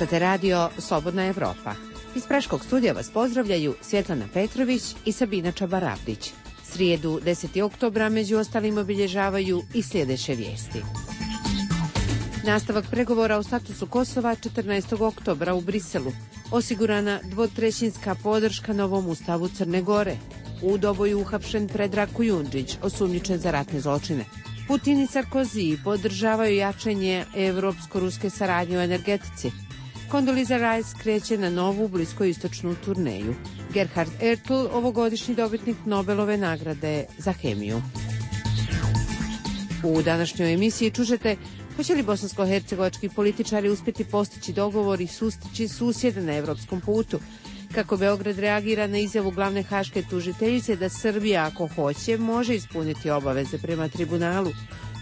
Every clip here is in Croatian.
Slušate radio Slobodna Evropa. Iz Praškog studija vas pozdravljaju Svjetlana Petrović i Sabina Čabarabdić. Srijedu 10. oktobra među ostalim obilježavaju i sljedeće vijesti. Nastavak pregovora o statusu Kosova 14. oktobra u Briselu. Osigurana dvotrećinska podrška novom ustavu Crne Gore. U Doboju uhapšen Predrag Kujundžić, osumnjičen za ratne zločine. Putin i Sarkozy podržavaju jačanje evropsko-ruske saradnje u energetici. Condoleezza Rice kreće na novu bliskoistočnu turneju. Gerhard Ertl, ovogodišnji dobitnik Nobelove nagrade za hemiju. U današnjoj emisiji čužete hoće li bosansko-hercegovački političari uspjeti postići dogovor i sustići susjede na evropskom putu, kako Beograd reagira na izjavu glavne haške tužiteljice da Srbija, ako hoće, može ispuniti obaveze prema tribunalu.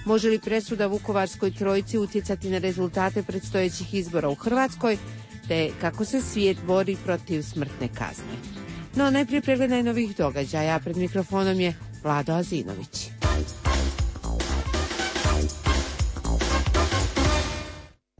Može li presuda Vukovarskoj trojici utjecati na rezultate predstojećih izbora u Hrvatskoj, te kako se svijet bori protiv smrtne kazne. No, najprije pregled najnovijih događaja. Pred mikrofonom je Vlado Azinović.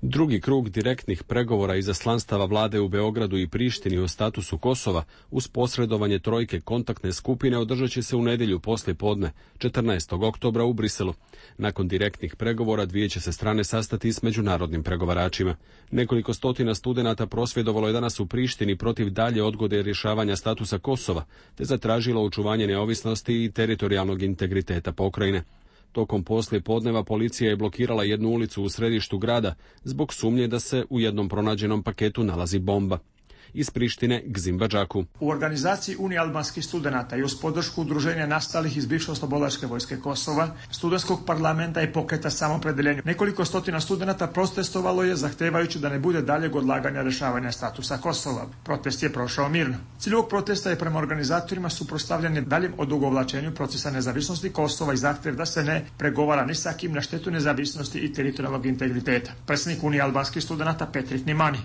Drugi krug direktnih pregovora izaslanstava vlade u Beogradu i Prištini o statusu Kosova uz posredovanje trojke kontaktne skupine održat će se u nedjelju poslije podne, 14. oktobra u Briselu. Nakon direktnih pregovora dvije će se strane sastati s međunarodnim pregovaračima. Nekoliko stotina studenata prosvjedovalo je danas u Prištini protiv dalje odgode rješavanja statusa Kosova, te zatražilo očuvanje neovisnosti i teritorijalnog integriteta pokrajine. Tokom poslije podneva policija je blokirala jednu ulicu u središtu grada zbog sumnje da se u jednom pronađenom paketu nalazi bomba. Iz Prištine Gzim Badžaku. U organizaciji Unije albanskih studenata i uz podršku udruženja nastalih iz bivše oslobodilačke vojske Kosova, studentskog parlamenta i pokreta samopredeljenja, nekoliko stotina studenata protestovalo je zahtevajući da ne bude daljeg odlaganja rješavanja statusa Kosova. Protest je prošao mirno. Cilj ovog protesta je prema organizatorima suprotstavljanje daljem odugovlačenju procesa nezavisnosti Kosova i zahtjev da se ne pregovara ni sa kim na štetu nezavisnosti i teritorijalnog integriteta. Predsjednik Unije albanskih studenata Petrit Nimani.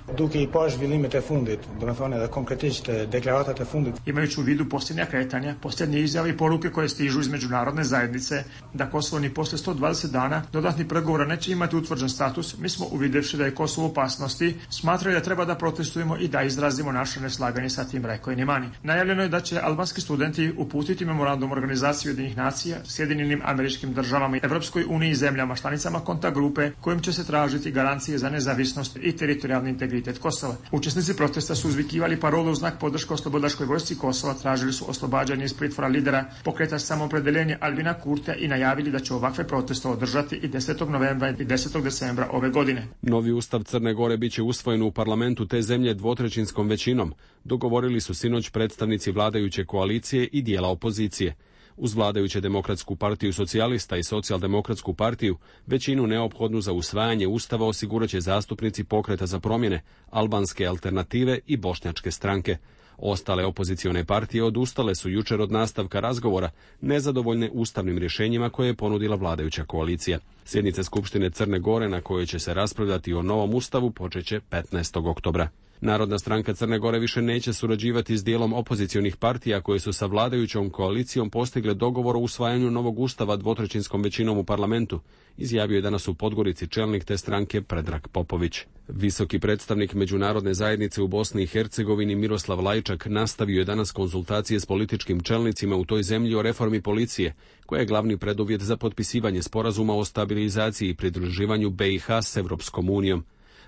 Imajući u vidu posljednja kretanja, posljednje izjave i poruke koje stižu iz međunarodne zajednice da Kosovo ni poslije 120 dana dodatnih pregovora neće imati utvrđen status, mi smo uvidjevši da je Kosovo u opasnosti, smatrali da treba da protestujemo i da izrazimo naše neslaganje sa tim, rekao je Nimani. Najavljeno je da će albanski studenti uputiti memorandum Organizacije Ujedinjenih nacija, Sjedinjenim Američkim Državama, Evropskoj uniji i zemljama članicama kontakt grupe kojim će se tražiti garancije za nezavisnost i teritorijalni integritet Kosova. Učesnici protesta su uzvikivali parole u znak podrške oslobodilačkoj vojsci Kosova, tražili su oslobađanje iz pritvora lidera pokreta samopredeljenja Albina Kurtija i najavili da će ovakve proteste održati i 10. novembra i 10. decembra ove godine. Novi ustav Crne Gore biće usvojen u parlamentu te zemlje dvotrećinskom većinom, dogovorili su sinoć predstavnici vladajuće koalicije i dijela opozicije. Uz vladajuće Demokratsku partiju socijalista i Socijaldemokratsku partiju, većinu neophodnu za usvajanje ustava osigurat će zastupnici pokreta za promjene, albanske alternative i bošnjačke stranke. Ostale opozicione partije odustale su jučer od nastavka razgovora, nezadovoljne ustavnim rješenjima koje je ponudila vladajuća koalicija. Sjednica Skupštine Crne Gore na kojoj će se raspravljati o novom ustavu počeće 15. oktobra. Narodna stranka Crne Gore više neće surađivati s dijelom opozicionih partija koje su sa vladajućom koalicijom postigle dogovor o usvajanju novog ustava dvotrećinskom većinom u parlamentu, izjavio je danas u Podgorici čelnik te stranke Predrag Popović. Visoki predstavnik međunarodne zajednice u Bosni i Hercegovini Miroslav Lajčak nastavio je danas konzultacije s političkim čelnicima u toj zemlji o reformi policije, koja je glavni preduvjet za potpisivanje sporazuma o stabilizaciji i pridruživanju BiH s Evropskom unijom.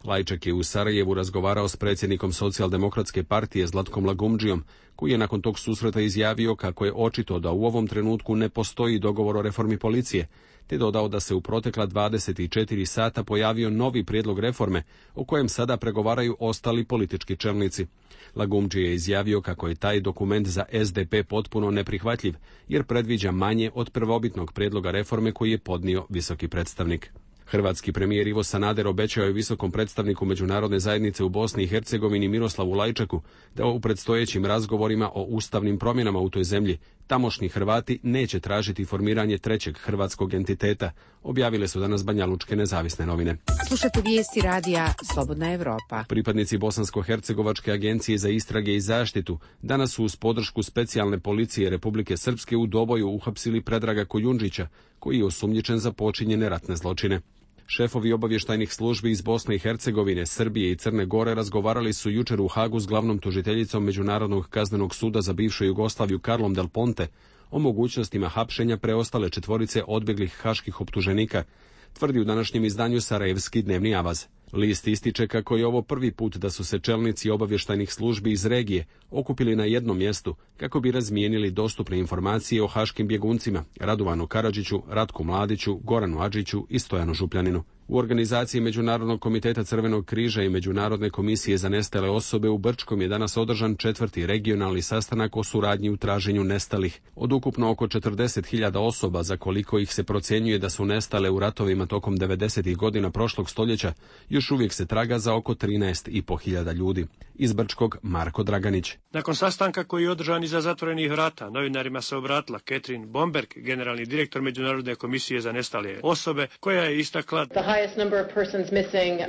Lajčak je u Sarajevu razgovarao s predsjednikom Socijaldemokratske partije Zlatkom Lagumdžijom, koji je nakon tog susreta izjavio kako je očito da u ovom trenutku ne postoji dogovor o reformi policije, te dodao da se u protekla 24 sata pojavio novi prijedlog reforme o kojem sada pregovaraju ostali politički čelnici. Lagumdži je izjavio kako je taj dokument za SDP potpuno neprihvatljiv, jer predviđa manje od prvobitnog prijedloga reforme koji je podnio visoki predstavnik. Hrvatski premijer Ivo Sanader obećao je visokom predstavniku međunarodne zajednice u Bosni i Hercegovini Miroslavu Lajčaku da u predstojećim razgovorima o ustavnim promjenama u toj zemlji tamošnji Hrvati neće tražiti formiranje trećeg hrvatskog entiteta, objavile su danas banjalučke nezavisne novine. Slušate vijesti radija Slobodna Evropa. Pripadnici Bosansko-hercegovačke agencije za istrage i zaštitu danas su uz podršku specijalne policije Republike Srpske u Doboju uhapsili Predraga Kujundžića, koji je osumnjičen za počinjene ratne zločine. Šefovi obavještajnih službi iz Bosne i Hercegovine, Srbije i Crne Gore razgovarali su jučer u Hagu s glavnom tužiteljicom Međunarodnog kaznenog suda za bivšu Jugoslaviju Carlom Del Ponte o mogućnostima hapšenja preostale četvorice odbjeglih haških optuženika, tvrdi u današnjem izdanju Sarajevski dnevni avaz. List ističe kako je ovo prvi put da su se čelnici obavještajnih službi iz regije okupili na jednom mjestu kako bi razmijenili dostupne informacije o haškim bjeguncima Radovanu Karadžiću, Ratku Mladiću, Goranu Adžiću i Stojanu Župljaninu. U organizaciji Međunarodnog komiteta Crvenog križa i Međunarodne komisije za nestale osobe u Brčkom je danas održan 4. regionalni sastanak o suradnji u traženju nestalih. Od ukupno oko 40.000 osoba, za koliko ih se procjenjuje da su nestale u ratovima tokom 90. godina prošlog stoljeća, još uvijek se traga za oko 13.500 ljudi. Iz Brčkog Marko Draganić. Nakon sastanka koji je održan iza zatvorenih vrata, novinarima se obratila Catherine Bomberg, generalni direktor Međunarodne komisije za nestale osobe, koja je istakla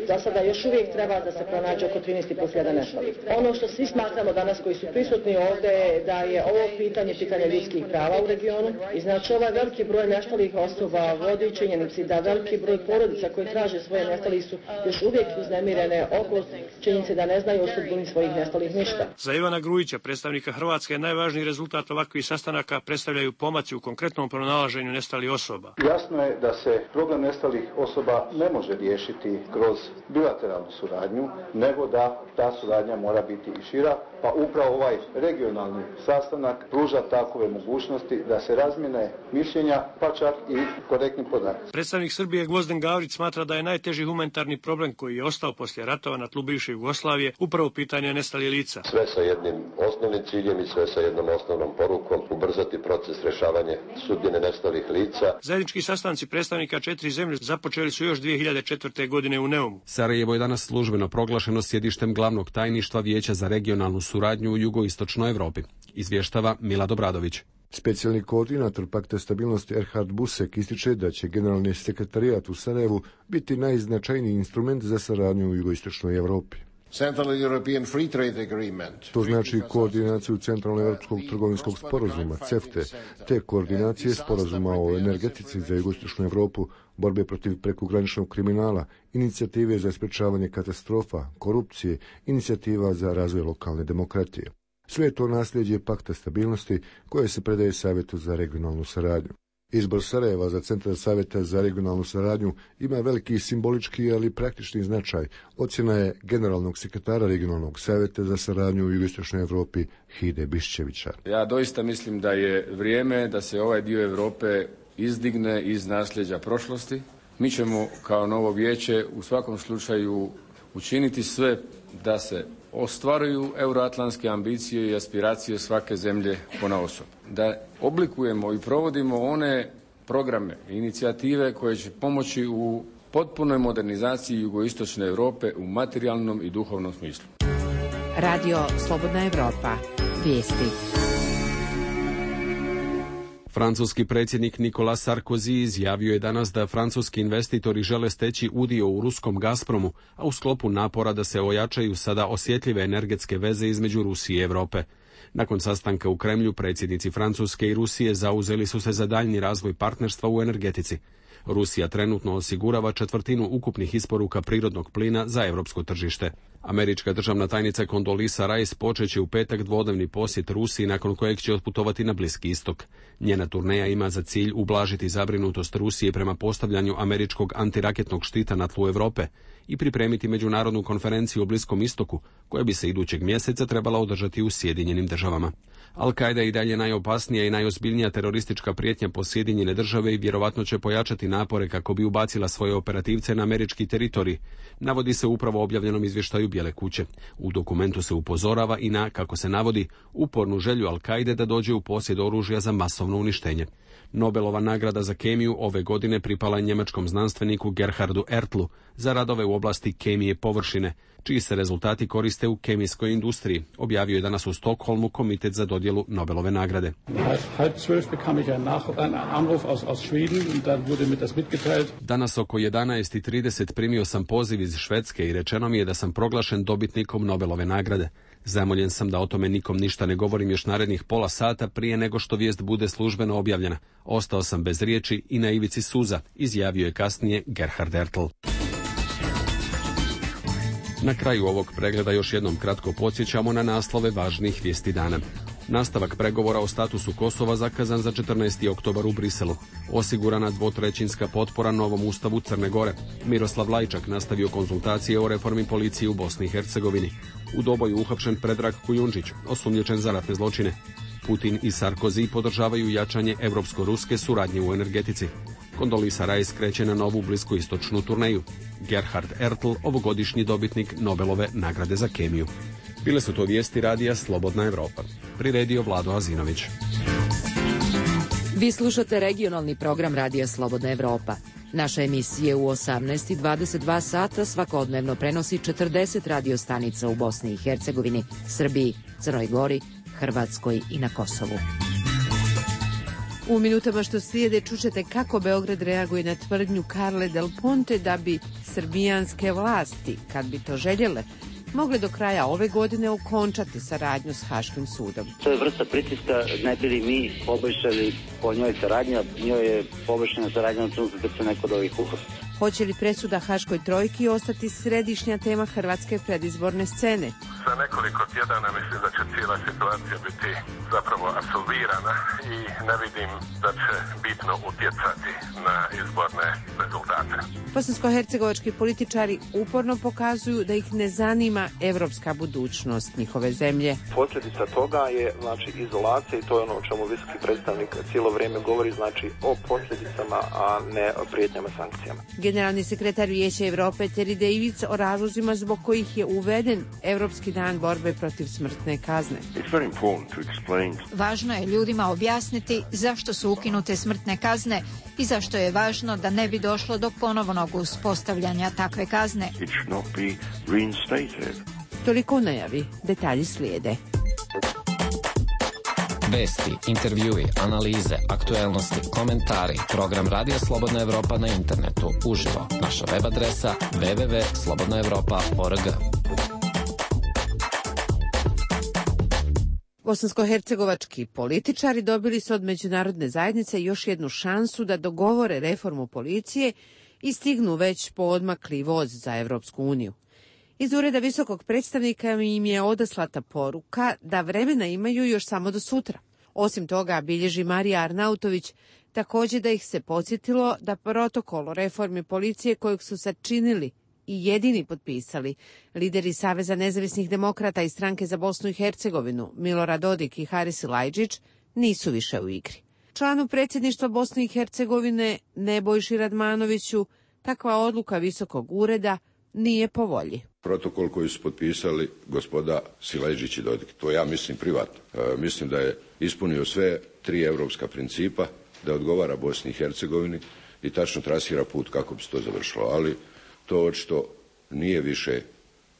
za sada još uvijek treba da se pronađe oko 13.500 nestalih. Ono što svi smatramo danas koji su prisutni ovdje je da je ovo pitanje ljudskih prava u regionu i znači ovaj veliki broj nestalih osoba vodi činjenici da veliki broj porodica koji traže svoje nestalih su još uvijek uznemirene oko činjenice da ne znaju o sudbini svojih nestalih ništa. Za Ivana Grujića, predstavnika Hrvatske, najvažniji rezultat ovakvih sastanaka predstavljaju pomaci u konkretnom pronalaženju nestalih osoba. Jasno je da se problem nestalih osoba ne može riješiti kroz bilateralnu suradnju, nego da ta suradnja mora biti i šira, pa upravo ovaj regionalni sastanak pruža takove mogućnosti da se razmjene mišljenja, pa čak i korektni podaci. Predstavnik Srbije Gvozden Gavrić smatra da je najteži humanitarni problem koji je ostao poslije ratova na tlu bivše Jugoslavije upravo pitanje nestalih lica. Sve sa jednim osnovnim ciljem i sve sa jednom osnovnom porukom: ubrzati proces rješavanja sudbine nestalih lica. Zajednički sastanci predstavnika 4 zemlje započeli su još 2004. godine u Neumu. Sarajevo je danas službeno proglašeno sjedištem glavnog tajništva Vijeća za regionalnu suradnju u jugoistočnoj Europi, izvještava Milad Obradović. Specijalni koordinator Pakta stabilnosti Erhard Busek ističe da će generalni sekretarijat u Sarajevu biti najznačajniji instrument za saradnju u jugoistočnoj Europi. To znači koordinaciju Centralno-Europskog trgovinskog sporazuma, CEFTE, te koordinacije sporazuma o energetici za jugoistočnu Europu, borbe protiv prekograničnog kriminala, inicijative za sprečavanje katastrofa, korupcije, inicijativa za razvoj lokalne demokratije. Sve je to nasljeđe Pakta stabilnosti koje se predaje Savjetu za regionalnu saradnju. Izbor Sarajeva za Centar Savjeta za regionalnu saradnju ima veliki simbolički, ali praktični značaj, ocjena je generalnog sekretara regionalnog savjeta za saradnju u jugoistočnoj Europi Hide Bišćevića. Ja doista mislim da je vrijeme da se ovaj dio Europe izdigne iz nasljeđa prošlosti. Mi ćemo kao novo vijeće u svakom slučaju učiniti sve da se ostvaruju euroatlantske ambicije i aspiracije svake zemlje ponaosob. Da oblikujemo i provodimo one programe i inicijative koje će pomoći u potpunoj modernizaciji jugoistočne Europe u materijalnom i duhovnom smislu. Radio Slobodna Europa. Vijesti. Francuski predsjednik Nicolas Sarkozy izjavio je danas da francuski investitori žele steći udio u ruskom Gazpromu, a u sklopu napora da se ojačaju sada osjetljive energetske veze između Rusije i Europe. Nakon sastanka u Kremlju, predsjednici Francuske i Rusije zauzeli su se za daljnji razvoj partnerstva u energetici. Rusija trenutno osigurava 1/4 ukupnih isporuka prirodnog plina za europsko tržište. Američka državna tajnica Condoleezza Rice počeće u petak dvodnevni posjet Rusiji, nakon kojeg će otputovati na Bliski istok. Njena turneja ima za cilj ublažiti zabrinutost Rusije prema postavljanju američkog antiraketnog štita na tlu Europe i pripremiti međunarodnu konferenciju o Bliskom istoku, koja bi se idućeg mjeseca trebala održati u Sjedinjenim državama. Al-Qaida je i dalje najopasnija i najozbiljnija teroristička prijetnja po Sjedinjene države i vjerovatno će pojačati napore kako bi ubacila svoje operativce na američki teritorij, navodi se upravo objavljenom izvještaju Bijele kuće. U dokumentu se upozorava i na, kako se navodi, upornu želju Al-Qaide da dođe u posjed oružja za masovno uništenje. Nobelova nagrada za kemiju ove godine pripala je njemačkom znanstveniku Gerhardu Ertlu za radove u oblasti kemije površine, čiji se rezultati koriste u kemijskoj industriji, objavio je danas u Stokholmu komitet za dodjelu Nobelove nagrade. Danas oko 11:30 primio sam poziv iz Švedske i rečeno mi je da sam proglašen dobitnikom Nobelove nagrade. Zamoljen sam da o tome nikom ništa ne govorim još narednih pola sata prije nego što vijest bude službeno objavljena. Ostao sam bez riječi i na ivici suza, izjavio je kasnije Gerhard Ertl. Na kraju ovog pregleda još jednom kratko podsjećamo na naslove važnih vijesti dana. Nastavak pregovora o statusu Kosova zakazan za 14. oktobar u Briselu. Osigurana dvotrećinska potpora novom ustavu Crne Gore. Miroslav Lajčak nastavio konzultacije o reformi policije u Bosni i Hercegovini. U Doboju uhapšen Predrag Kujundžić, osumnjičen za ratne zločine. Putin i Sarkozy podržavaju jačanje evropsko-ruske suradnje u energetici. Kondolisa Rice kreće na novu bliskoistočnu turneju. Gerhard Ertl, ovogodišnji dobitnik Nobelove nagrade za kemiju. Bile su to vijesti radija Slobodna Evropa. Priredio Vlado Azinović. Vi slušate regionalni program radija Slobodna Evropa. Naša emisija u 18:22 sata svakodnevno prenosi 40 radiostanica u Bosni i Hercegovini, Srbiji, Crnoj Gori, Hrvatskoj i na Kosovu. U minutama što slijede čućete kako Beograd reaguje na tvrdnju Carle Del Ponte da bi srbijanske vlasti, kad bi to željele, mogle do kraja ove godine okončati saradnju s Haškim sudom. To je vrsta pritiska, ne bi li mi poboljšali po njoj saradnja, njoj je poboljšana saradnja na trenutku kad se neko od ovih uhosti. Hoće li presuda Haškoj trojki ostati središnja tema hrvatske predizborne scene? Za nekoliko tjedana mislim da će cijela situacija biti zapravo apsolvirana i ne vidim da će bitno utjecati na izborne rezultate. Bosansko-hercegovački političari uporno pokazuju da ih ne zanima evropska budućnost njihove zemlje. Posljedica toga je izolacija i to je ono o čemu visoki predstavnik cijelo vrijeme govori, o posljedicama, a ne o prijetnjama sankcijama. Generalni sekretar Vijeća Europe Terry Davids o razlozima zbog kojih je uveden Europski dan borbe protiv smrtne kazne. Važno je ljudima objasniti zašto su ukinute smrtne kazne i zašto je važno da ne bi došlo do ponovnog uspostavljanja takve kazne. Toliko u najavi, detalji slijede. Vesti, intervjui, analize, aktuelnosti, komentari. Program Radija Slobodna Evropa na internetu. Uživo. Naša web adresa www.slobodnaevropa.org. Bosansko-hercegovački političari dobili su od međunarodne zajednice još jednu šansu da dogovore reformu policije i stignu već poodmakli voz za Evropsku uniju. Iz ureda visokog predstavnika im je odaslata poruka da vremena imaju još samo do sutra. Osim toga, bilježi Marija Arnautović, također da ih se podsjetilo da protokol o reformi policije kojeg su sačinili i jedini potpisali lideri Saveza nezavisnih demokrata i Stranke za Bosnu i Hercegovinu, Milorad Dodik i Haris Silajdžić, nisu više u igri. Članu predsjedništva Bosne i Hercegovine Nebojši Radmanoviću takva odluka visokog ureda nije po volji. Protokol koji su potpisali gospoda Silajdžić i Dodik, to ja mislim privatno. Mislim da je ispunio sve tri europska principa, da odgovara Bosni i Hercegovini i tačno trasira put kako bi se to završilo, ali to očito nije više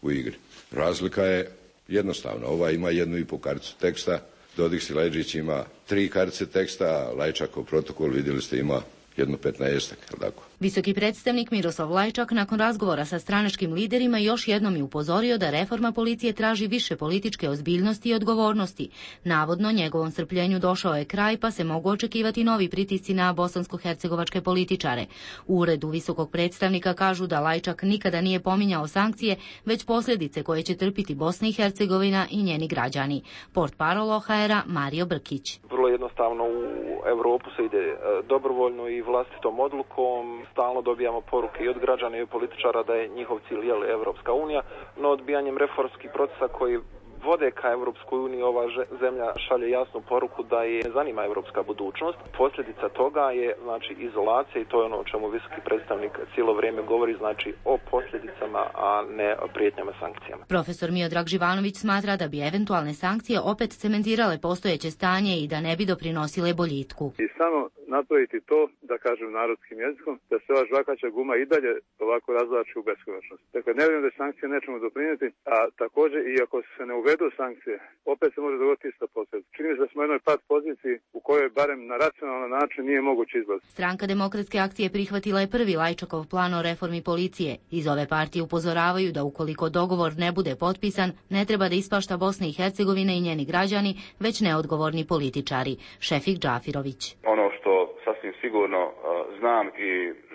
u igri. Razlika je jednostavna. Ova ima 1,5 karticu teksta, Dodik Silajdžić ima 3 kartice teksta, Lajčakov protokol, vidjeli ste, ima 15-ak, tako. Visoki predstavnik Miroslav Lajčak nakon razgovora sa stranačkim liderima još jednom je upozorio da reforma policije traži više političke ozbiljnosti i odgovornosti. Navodno, njegovom strpljenju došao je kraj, pa se mogu očekivati novi pritisci na bosansko-hercegovačke političare. U uredu visokog predstavnika kažu da Lajčak nikada nije pominjao sankcije, već posljedice koje će trpiti Bosna i Hercegovina i njeni građani. Portparol OHR-a Mario Brkić. Vrlo jednostavno u Europu se ide dobrovoljno i vlastitom odlukom. Stalno dobijamo poruke i od građana i od političara da je njihov cilj Evropska unija, no odbijanjem reformskih procesa koji vode ka Evropskoj uniji ova zemlja šalje jasnu poruku da je ne zanima evropska budućnost. Posljedica toga je izolacija i to je ono o čemu visoki predstavnik cijelo vrijeme govori, o posljedicama, a ne o prijetnjama sankcijama. Profesor Miodrag Živanović smatra da bi eventualne sankcije opet cementirale postojeće stanje i da ne bi doprinosile boljitku. I samo napraviti to, da kažem narodskim jezikom, da se ova žvakaća guma i dalje ovako razvlači u beskonačnost. Dakle, ne vjerujem da sankcije nećemo doprinijeti, a također i ako se ne uvedu sankcije, opet se može dogoditi ista posljedica. Čini se da smo u jednoj pad poziciji u kojoj barem na racionalan način nije moguće izlaz. Stranka Demokratske akcije prihvatila je prvi Lajčakov plan o reformi policije. Iz ove partije upozoravaju da ukoliko dogovor ne bude potpisan, ne treba da ispašta Bosna i Hercegovina i njeni građani, već neodgovorni političari. Šefik Džafirović. Ono što sasvim sigurno znam i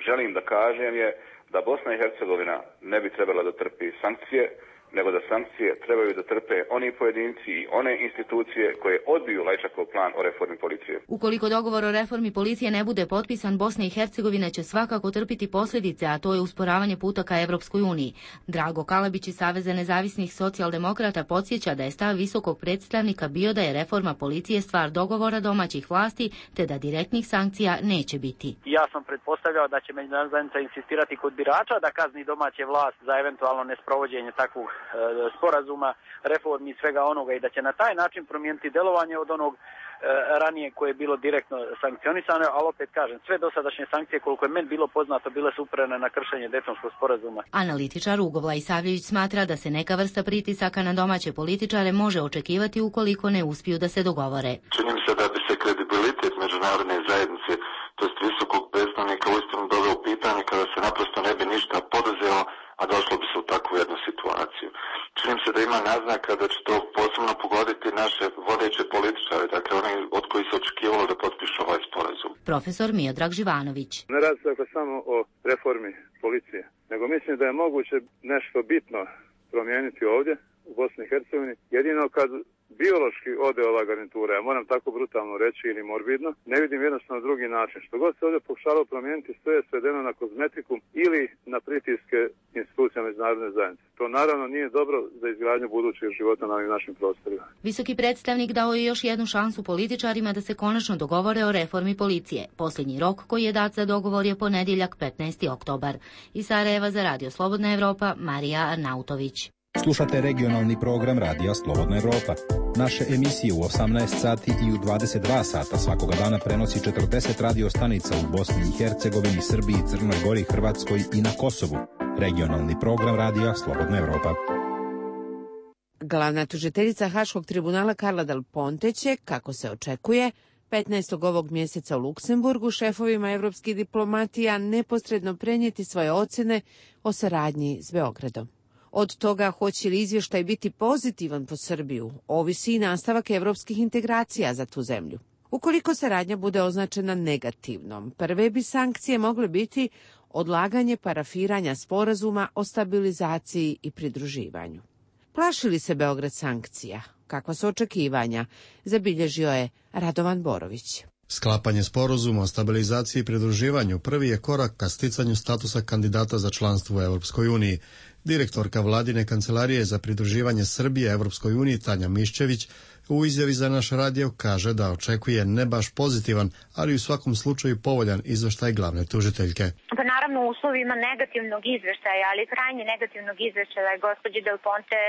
želim da kažem je da Bosna i Hercegovina ne bi trebala da trpi sankcije, nego da sankcije trebaju da trpe oni pojedinci i one institucije koje odbiju Lajčakov plan o reformi policije. Ukoliko dogovor o reformi policije ne bude potpisan, Bosna i Hercegovina će svakako trpiti posljedice, a to je usporavanje puta ka Evropskoj uniji. Drago Kalabić iz Saveza nezavisnih socijaldemokrata podsjeća da je stav visokog predstavnika bio da je reforma policije stvar dogovora domaćih vlasti, te da direktnih sankcija neće biti. Ja sam pretpostavljao da će međunarodna zajednica insistirati kod birača da kazni domaće vlast za eventualno nesprovođenje takvog sporazuma, reformi i svega onoga i da će na taj način promijeniti delovanje od onog ranije koje je bilo direktno sankcionisano, ali opet kažem, sve dosadašnje sankcije koliko je meni bilo poznato bile su uprene na kršenje Daytonskog sporazuma. Analitičar Ugo Isavljević smatra da se neka vrsta pritisaka na domaće političare može očekivati ukoliko ne uspiju da se dogovore. Čini mi se da bi se kredibilitet međunarodne zajednice, to jest visokog predstavnika, uistinu doveo u pitanje kada se naprosto ne bi ništa poduzelo, a došlo bi se u takvu jednu situaciju. Čini mi se da ima naznaka da će to posebno pogoditi naše vodeće političare, dakle oni od koji se očekivalo da potpišu ovaj sporazum. Profesor Miodrag Živanović. Ne radi se dakle samo o reformi policije, nego mislim da je moguće nešto bitno promijeniti ovdje u Bosni i Hercegovini, jedino kad biološki ode ova garnitura, ja moram tako brutalno reći ili morbidno, ne vidim jednostavno drugi način. Što god se ovdje pokušalo promijeniti, sve je svedeno na kozmetiku ili na pritiske institucija međunarodne zajednice. To naravno nije dobro za izgradnju budućeg života na ovim našim prostorima. Visoki predstavnik dao je još jednu šansu političarima da se konačno dogovore o reformi policije. Posljednji rok koji je dat za dogovor je ponedjeljak 15. oktobar. Iz Sarajeva za Radio Slobodna Evropa, Marija Arnautović. Slušate regionalni program Radija Slobodna Evropa. Naše emisije u 18 sati i u 22 sata svakoga dana prenosi 40 radio stanica u Bosni i Hercegovini, Srbiji, Crnoj Gori, Hrvatskoj i na Kosovu. Regionalni program Radija Slobodna Evropa. Glavna tužiteljica Haškog tribunala Karla Del Ponte će, kako se očekuje, 15. ovog mjeseca u Luksemburgu šefovima evropskih diplomatija neposredno prenijeti svoje ocjene o saradnji s Beogradom. Od toga hoće li izvještaj biti pozitivan po Srbiju, ovisi i nastavak evropskih integracija za tu zemlju. Ukoliko saradnja bude označena negativnom, prve bi sankcije mogle biti odlaganje parafiranja sporazuma o stabilizaciji i pridruživanju. Plaši li se Beograd sankcija? Kakva su očekivanja? Zabilježio je Radovan Borović. Sklapanje sporazuma o stabilizaciji i pridruživanju prvi je korak ka sticanju statusa kandidata za članstvo u Europskoj uniji. Direktorka vladine kancelarije za pridruživanje Srbije Evropskoj uniji Tanja Miščević u izjavi za naš radio kaže da očekuje ne baš pozitivan, ali u svakom slučaju povoljan izveštaj glavne tužiteljke. Pa naravno u uslovima negativnog izveštaja, ali krajnje negativnog izveštaja gospođe Del Ponte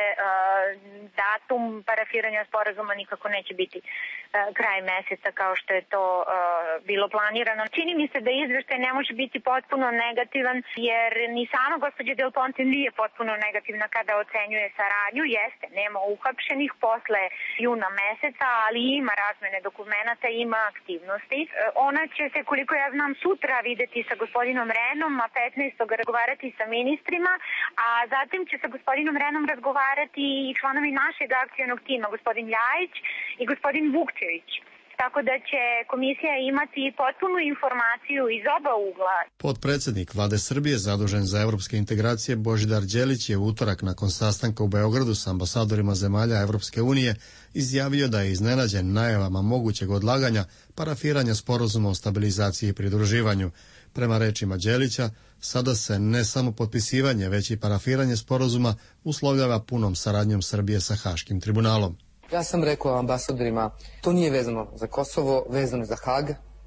datum parafiranja sporazuma nikako neće biti kraj meseca kao što je to bilo planirano. Čini mi se da izveštaj ne može biti potpuno negativan jer ni sama gospođa Del Ponte nije potpuno negativna kada ocenjuje saradnju. Jeste, nema uhapšenih posle juna meseca, ali ima razmene dokumenata, ima aktivnosti. Ona će se, koliko ja znam, sutra videti sa gospodinom Renom, a 15. razgovarati sa ministrima, a zatim će sa gospodinom Renom razgovarati i članovi našeg akcionog tima, gospodin Ljajić i gospodin Vukčević. Tako da će komisija imati potpunu informaciju iz oba ugla. Potpredsjednik Vlade Srbije zadužen za evropske integracije Božidar Đelić je u utorak nakon sastanka u Beogradu s ambasadorima zemalja Evropske unije izjavio da je iznenađen najavama mogućeg odlaganja parafiranja sporazuma o stabilizaciji i pridruživanju. Prema rečima Đelića, sada se ne samo potpisivanje, već i parafiranje sporazuma uslovljava punom saradnjom Srbije sa Haškim tribunalom. Ja sam rekao ambasadorima, to nije vezano za Kosovo, vezano za Hag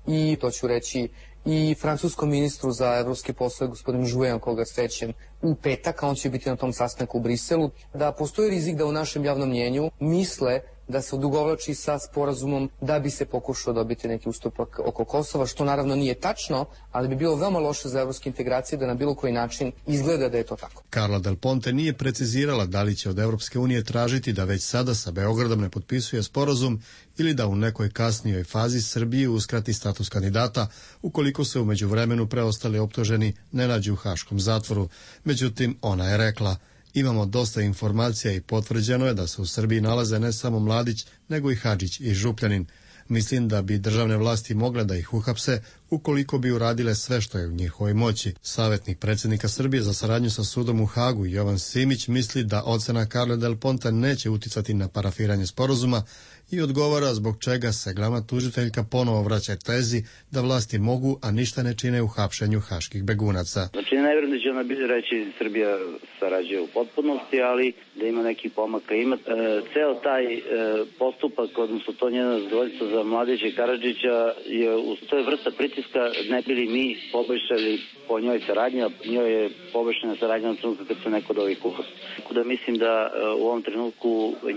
i to ću reći i francuskom ministru za evropske poslove, gospodinu Jouvenom, koga srećem u petak, a on će biti na tom sastanku u Briselu, da postoji rizik da u našem javnom mnjenju misle da se odugovlači sa sporazumom da bi se pokušao dobiti neki ustupak oko Kosova, što naravno nije tačno, ali bi bilo veoma loše za evropske integracije da na bilo koji način izgleda da je to tako. Carla Del Ponte nije precizirala da li će od Evropske unije tražiti da već sada sa Beogradom ne potpisuje sporazum ili da u nekoj kasnijoj fazi Srbiji uskrati status kandidata ukoliko se u međuvremenu preostali optuženi ne nađu u haškom zatvoru. Međutim, ona je rekla: imamo dosta informacija i potvrđeno je da se u Srbiji nalaze ne samo Mladić, nego i Hadžić i Župljanin. Mislim da bi državne vlasti mogle da ih uhapse ukoliko bi uradile sve što je u njihovoj moći. Savjetnik predsjednika Srbije za saradnju sa sudom u Hagu, Jovan Simić, misli da ocena Carle Del Ponte neće uticati na parafiranje sporazuma i odgovara zbog čega se glavna tužiteljka ponovo vraća tezi da vlasti mogu, a ništa ne čine u hapšenju haških begunaca. Znači, ne vjerujem da će ona reći Srbija sarađuje u potpunosti, ali da ima neki pomaka. Ceo taj postupak, odnosno to njeno zadovoljstvo za Mladića i Karadžića to je vrsta pritiska, ne bili mi poboljšali po njoj saradnja, njoj je poboljšana saradnja na trenutku kad se neko od ovih uhapsi. Tako da mislim da u ovom trenutku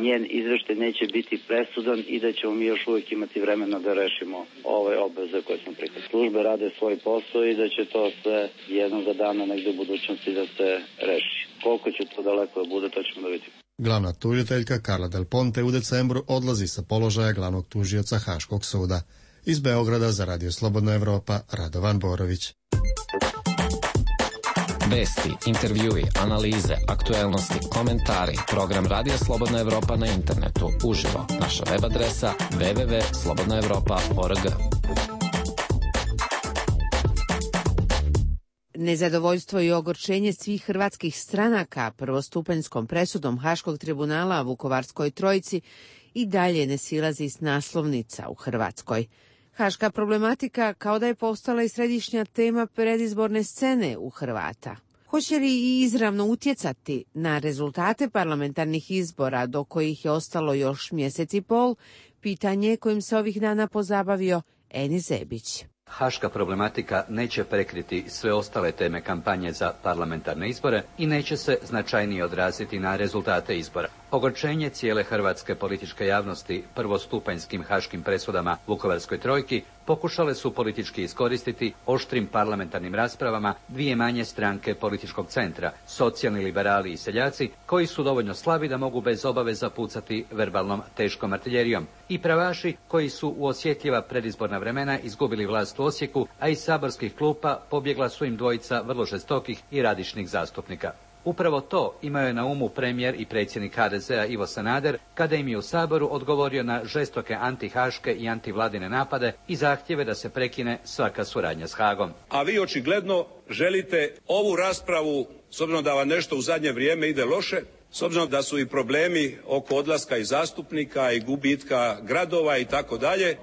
njen izveštaj neće biti presudan i da ćemo mi još uvijek imati vremena da rešimo ove obveze koje smo prihvatili. Službe rade svoj posao i da će to sve jednog dana negde u budućnosti da se reši. Koliko će to daleko da bude, to ćemo da vidimo. Glavna tužiteljka Carla Del Ponte u decembru odlazi sa položaja glavnog tužioca Haškog suda. Iz Beograda za Radio Slobodna Evropa, Radovan Borović. Vesti, intervjui, analize, aktuelnosti, komentari. Program Radio Slobodna Evropa na internetu. Uživo. Naša web adresa www.slobodnaevropa.org. Nezadovoljstvo i ogorčenje svih hrvatskih stranaka prvostupanjskom presudom Haškog tribunala Vukovarskoj trojici i dalje ne silazi s naslovnica u Hrvatskoj. Haška problematika kao da je postala i središnja tema predizborne scene u Hrvata. Hoće li i izravno utjecati na rezultate parlamentarnih izbora do kojih je ostalo još mjesec i pol, pitanje kojim se ovih dana pozabavio Enis Zebić. Haška problematika neće prekriti sve ostale teme kampanje za parlamentarne izbore i neće se značajnije odraziti na rezultate izbora. Ogorčenje cijele hrvatske političke javnosti prvostupanjskim haškim presudama Vukovarskoj trojki pokušale su politički iskoristiti oštrim parlamentarnim raspravama dvije manje stranke političkog centra, socijalni liberali i seljaci, koji su dovoljno slabi da mogu bez obaveza pucati verbalnom teškom artiljerijom, i pravaši koji su u osjetljiva predizborna vremena izgubili vlast u Osijeku, a iz saborskih klupa pobjegla su im dvojica vrlo žestokih i radišnih zastupnika. Upravo to imao je na umu premijer i predsjednik HDZ-a Ivo Sanader kada im je u Saboru odgovorio na žestoke antihaške i antivladine napade i zahtjeve da se prekine svaka suradnja s Hagom. A vi očigledno želite ovu raspravu, s obzirom da vam nešto u zadnje vrijeme ide loše, s obzirom da su i problemi oko odlaska i zastupnika i gubitka gradova i tako dalje,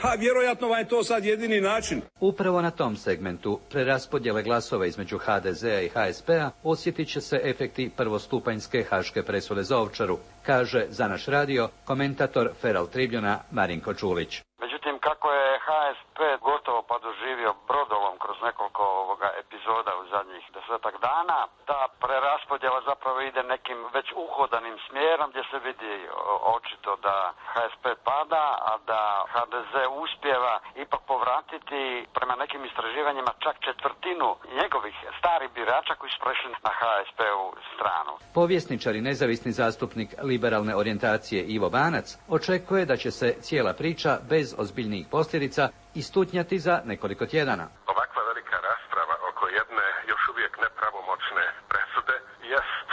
a vjerojatno vam je to sad jedini način. Upravo na tom segmentu preraspodjele glasova između HDZ-a i HSP-a osjetit će se efekti prvostupanjske haške presude za Ovčaru, kaže za naš radio komentator Feral Tribuna Marinko Čulić. Međutim, kako je HSP gotovo pa doživio brodolom kroz nekoliko epizoda u zadnjih 10-ak dana, ta preraspodjela zapravo ide nekim već uhodanim smjerom gdje se vidi očito da HSP pada, a da HDZ uspijeva ipak povratiti prema nekim istraživanjima čak četvrtinu njegovih starih birača koji su prešli na HSP-u stranu. Povjesničar i nezavisni zastupnik liberalne orijentacije Ivo Banac očekuje da će se cijela priča bez ozbiljnijih posljedica istutnjati za nekoliko tjedana. Ovakva velika rasprava oko jedne još uvijek nepravomoćne presude jest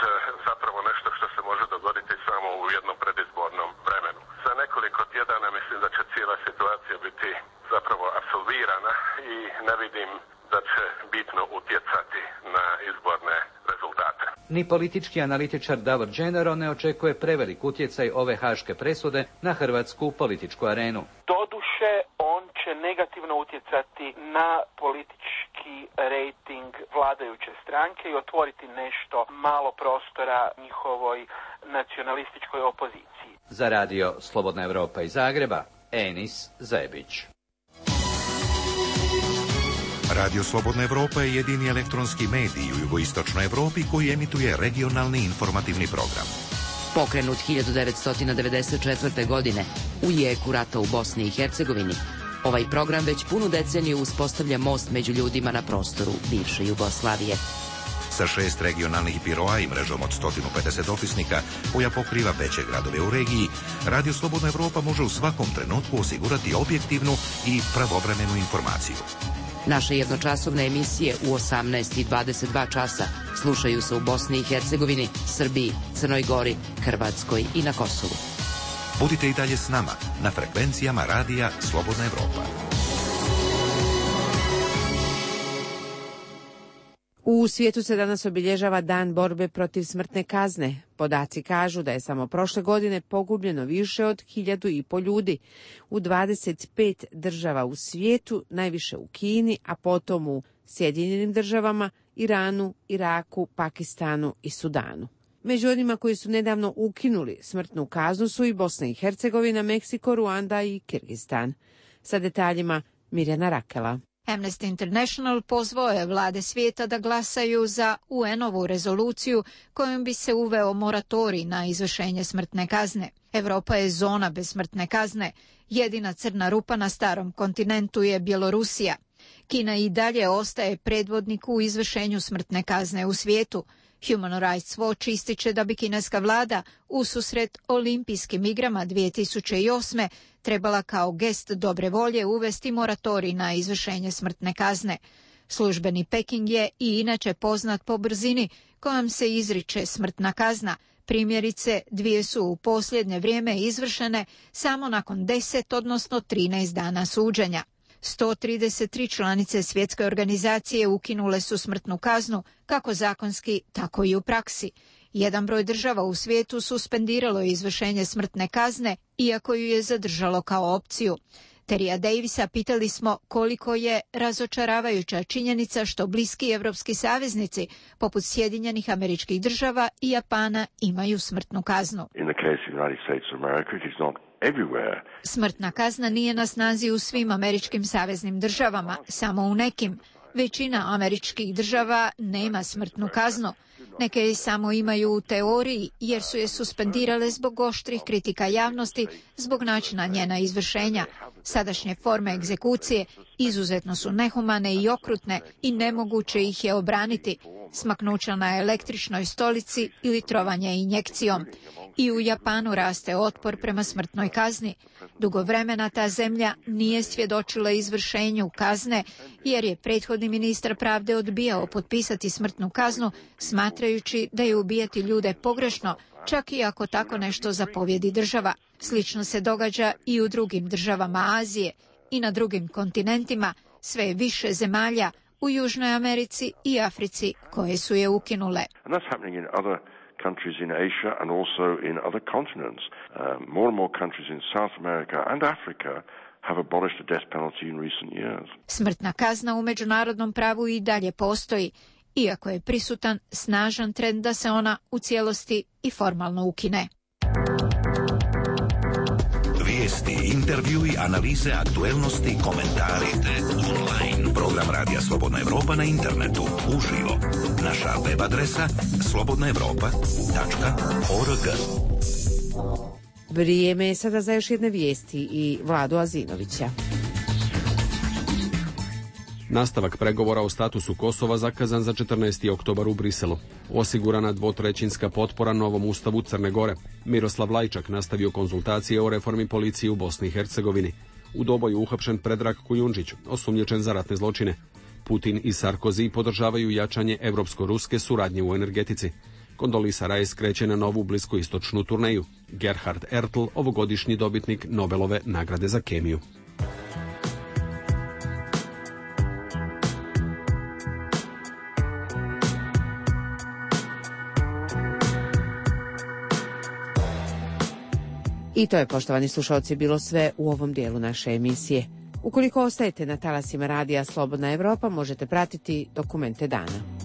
zapravo nešto što se može dogoditi samo u jednom predizbornom vremenu. Za nekoliko tjedana mislim da će cijela situacija biti zapravo apsolvirana i ne vidim da će bitno utjecati na izborne rezultate. Ni politički analitičar Davor Đenero ne očekuje prevelik utjecaj ove haške presude na hrvatsku političku arenu. Doduše, on će negativno utjecati na politički rejting vladajuće stranke i otvoriti nešto malo prostora njihovoj nacionalističkoj opoziciji. Za radio Slobodna Evropa iz Zagreba, Enis Zebić. Radio Slobodna Evropa je jedini elektronski medij u jugoistočnoj Evropi koji emituje regionalni informativni program. Pokrenut 1994. godine u jeku rata u Bosni i Hercegovini, ovaj program već punu deceniju uspostavlja most među ljudima na prostoru bivše Jugoslavije. Sa 6 regionalnih biroa i mrežom od 150 dopisnika koja pokriva veće gradove u regiji, Radio Slobodna Evropa može u svakom trenutku osigurati objektivnu i pravovremenu informaciju. Naše jednočasovne emisije u 18 i 22 časa slušaju se u Bosni i Hercegovini, Srbiji, Crnoj Gori, Hrvatskoj i na Kosovu. Budite i dalje s nama na frekvencijama Radija Slobodna Evropa. U svijetu se danas obilježava Dan borbe protiv smrtne kazne. Podaci kažu da je samo prošle godine pogubljeno više od 1.500 ljudi u 25 država u svijetu, najviše u Kini, a potom u Sjedinjenim državama, Iranu, Iraku, Pakistanu i Sudanu. Među onima koji su nedavno ukinuli smrtnu kaznu su i Bosna i Hercegovina, Meksiko, Ruanda i Kirgistan. Sa detaljima Mirjana Rakela. Amnesty International pozvao je vlade svijeta da glasaju za UN-ovu rezoluciju kojom bi se uveo moratorij na izvršenje smrtne kazne. Europa je zona bez smrtne kazne. Jedina crna rupa na starom kontinentu je Bjelorusija. Kina i dalje ostaje predvodnik u izvršenju smrtne kazne u svijetu. Human Rights Watch ističe da bi kineska vlada ususret olimpijskim igrama 2008. trebala kao gest dobre volje uvesti moratorij na izvršenje smrtne kazne. Službeni Peking je i inače poznat po brzini kojom se izriče smrtna kazna. Primjerice, 2 su u posljednje vrijeme izvršene samo nakon 10, odnosno 13 dana suđenja. 133 članice svjetske organizacije ukinule su smrtnu kaznu, kako zakonski, tako i u praksi. Jedan broj država u svijetu suspendiralo izvršenje smrtne kazne, iako ju je zadržalo kao opciju. Terija Davisa pitali smo koliko je razočaravajuća činjenica što bliski evropski saveznici, poput Sjedinjenih Američkih Država i Japana, imaju smrtnu kaznu. Smrtna kazna nije na snazi u svim američkim saveznim državama, samo u nekim. Većina američkih država nema smrtnu kaznu. Neke je samo imaju u teoriji jer su je suspendirale zbog oštrih kritika javnosti zbog načina njena izvršenja. Sadašnje forme egzekucije izuzetno su nehumane i okrutne i nemoguće ih je obraniti. Smaknuća na električnoj stolici ili trovanje injekcijom. I u Japanu raste otpor prema smrtnoj kazni. Dugo vremena ta zemlja nije svjedočila izvršenju kazne jer je prethodni ministar pravde odbijao potpisati smrtnu kaznu smatrajući da je ubijati ljude pogrešno, čak i ako tako nešto zapovjedi država. Slično se događa i u drugim državama Azije i na drugim kontinentima, sve je više zemalja u Južnoj Americi i Africi koje su je ukinule. Countries in Asia and also in other continents. More and more countries in South America and Africa have abolished the death penalty in recent years. Smrtna kazna u međunarodnom pravu i dalje postoji, iako je prisutan snažan trend da se ona u cijelosti i formalno ukine. Vijesti, intervjui, analize, aktuelnosti, komentari, online. Program Radija Slobodna Evropa na internetu, uživo. Naša web adresa slobodnaevropa.org. Vrijeme je sada za još jedne vijesti i Vladu Azinovića. Nastavak pregovora o statusu Kosova zakazan za 14. oktobar u Briselu. Osigurana 2/3 potpora novom ustavu Crne Gore. Miroslav Lajčak nastavio konzultacije o reformi policije u Bosni i Hercegovini. U Doboju uhapšen Predrag Kujundžić, osumnjičen za ratne zločine. Putin i Sarkozy podržavaju jačanje evropsko-ruske suradnje u energetici. Kondolisa Rice kreće na novu bliskoistočnu turneju. Gerhard Ertl, ovogodišnji dobitnik Nobelove nagrade za kemiju. I to je, poštovani slušalci, bilo sve u ovom dijelu naše emisije. Ukoliko ostajete na talasima Radija Slobodna Evropa, možete pratiti dokumente dana.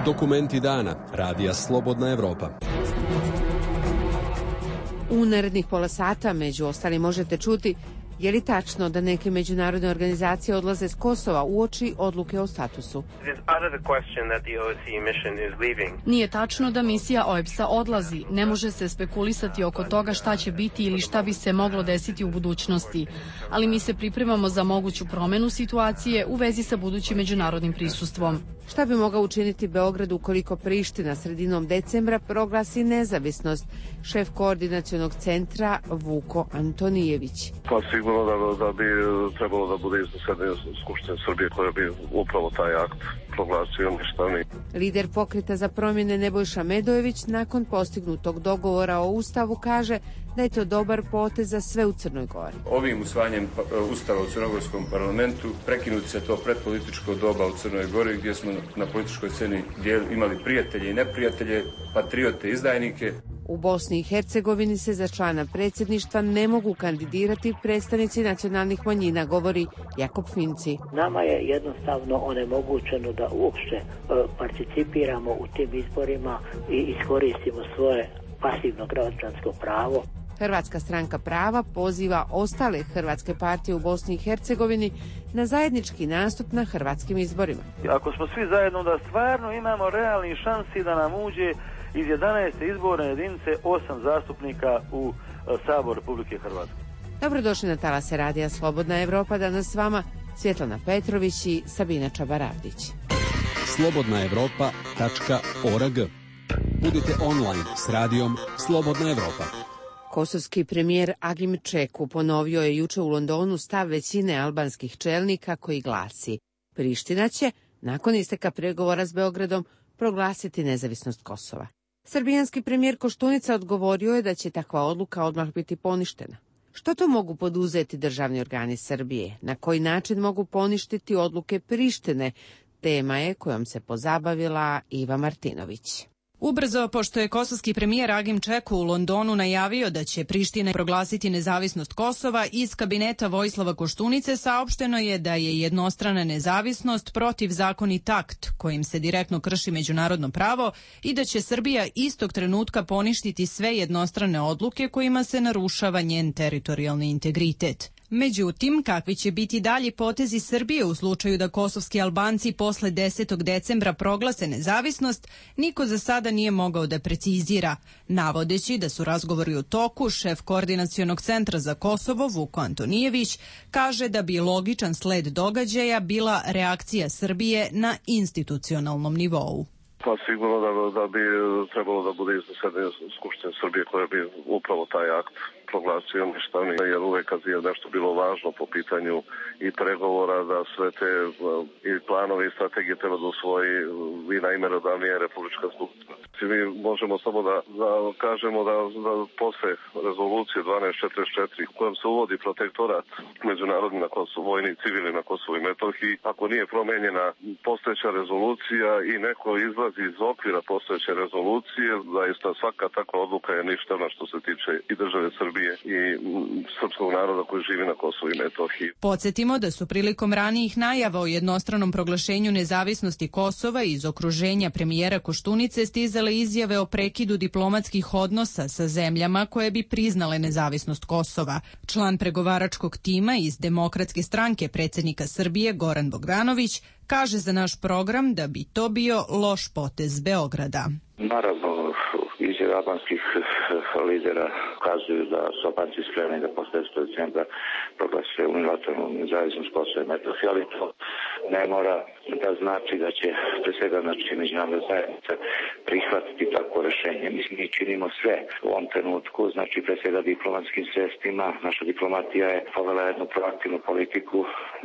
Dokumenti dana. Radija Slobodna Evropa. U narednih pola sata, među ostalim, možete čuti je li tačno da neke međunarodne organizacije odlaze s Kosova uoči odluke o statusu. Nije tačno da misija OEBS-a odlazi. Ne može se spekulisati oko toga šta će biti ili šta bi se moglo desiti u budućnosti. Ali mi se pripremamo za moguću promenu situacije u vezi sa budućim međunarodnim prisustvom. Šta bi mogao učiniti Beograd ukoliko Priština sredinom decembra proglasi nezavisnost? Šef koordinacionog centra Vuko Antonijević. Pa sigurno da bi trebalo da bude iznesena Skupština Srbije koja bi upravo taj akt proglasio ništavni. Lider Pokreta za promjene Nebojša Medojević nakon postignutog dogovora o Ustavu kaže da je to dobar potez za sve u Crnoj Gori. Ovim usvajanjem Ustava u Crnogorskom parlamentu prekinuti se to predpolitičko doba u Crnoj Gori gdje smo na političkoj sceni imali prijatelje i neprijatelje, patriote i izdajnike. U Bosni i Hercegovini se za člana predsjedništva ne mogu kandidirati predstavnici nacionalnih manjina, govori Jakob Finci. Nama je jednostavno onemogućeno da uopšte participiramo u tim izborima i iskoristimo svoje pasivno građansko pravo. Hrvatska stranka prava poziva ostale hrvatske partije u Bosni i Hercegovini na zajednički nastup na hrvatskim izborima. Ako smo svi zajedno, da stvarno imamo realni šansi da nam uđe iz 11. izborne jedinice 8 zastupnika u Sabor Republike Hrvatske. Dobrodošli na talase Radija Slobodna Evropa, danas s vama Svjetlana Petrović i Sabina Čabaravdić. slobodnaevropa.org. Budite online s radijom Slobodna Evropa. Kosovski premijer Agim Čeku ponovio je juče u Londonu stav većine albanskih čelnika koji glasi: Priština će, nakon isteka pregovora s Beogradom, proglasiti nezavisnost Kosova. Srbijanski premijer Koštunica odgovorio je da će takva odluka odmah biti poništena. Što to mogu poduzeti državni organi Srbije? Na koji način mogu poništiti odluke Prištine? Tema je kojom se pozabavila Iva Martinović. Ubrzo, pošto je kosovski premijer Agim Čeku u Londonu najavio da će Priština proglasiti nezavisnost Kosova, iz kabineta Vojislava Koštunice saopšteno je da je jednostrana nezavisnost protivzakonit akt kojim se direktno krši međunarodno pravo i da će Srbija istog trenutka poništiti sve jednostrane odluke kojima se narušava njen teritorijalni integritet. Međutim, kakvi će biti dalji potezi Srbije u slučaju da kosovski Albanci posle 10. decembra proglase nezavisnost, niko za sada nije mogao da precizira. Navodeći da su razgovori u toku, šef koordinacionog centra za Kosovo, Vuko Antonijević, kaže da bi logičan sled događaja bila reakcija Srbije na institucionalnom nivou. Pa sigurno da bi trebalo da bude iznesena Skupština Srbije koja bi upravo taj akt proglasio ništavni, jer uvek kad je nešto bilo važno po pitanju i pregovora, da sve te i planove i strategije treba da usvoji i najmerodavnija Republička skupština. Mi možemo samo da kažemo da posle rezolucije 1244 u kojem se uvodi protektorat međunarodni na Kosovo, vojni i civilni na Kosovo i Metohiji, ako nije promenjena postojeća rezolucija i neko izlazi iz okvira postojeće rezolucije, zaista svaka takva odluka je ništavna što se tiče i države Srbije i srpskog naroda koji živi na Kosovu i Metohiji. Podsjetimo da su prilikom ranijih najava o jednostranom proglašenju nezavisnosti Kosova iz okruženja premijera Koštunice stizale izjave o prekidu diplomatskih odnosa sa zemljama koje bi priznale nezavisnost Kosova. Član pregovaračkog tima iz Demokratske stranke predsjednika Srbije Goran Bogdanović kaže za naš program da bi to bio loš potez Beograda. Naravno, izjave albanskih lidera ukazuju da su Albanci spremni da posle 10. decembra proglase unilateralnu nezavisnost Kosova i Metohije, ali to ne mora da znači da će pre svega međunarodna zajednica prihvatiti takvo rešenje. Mi činimo sve u ovom trenutku, znači pre svega diplomatskim sredstvima. Naša diplomatija je povela jednu proaktivnu politiku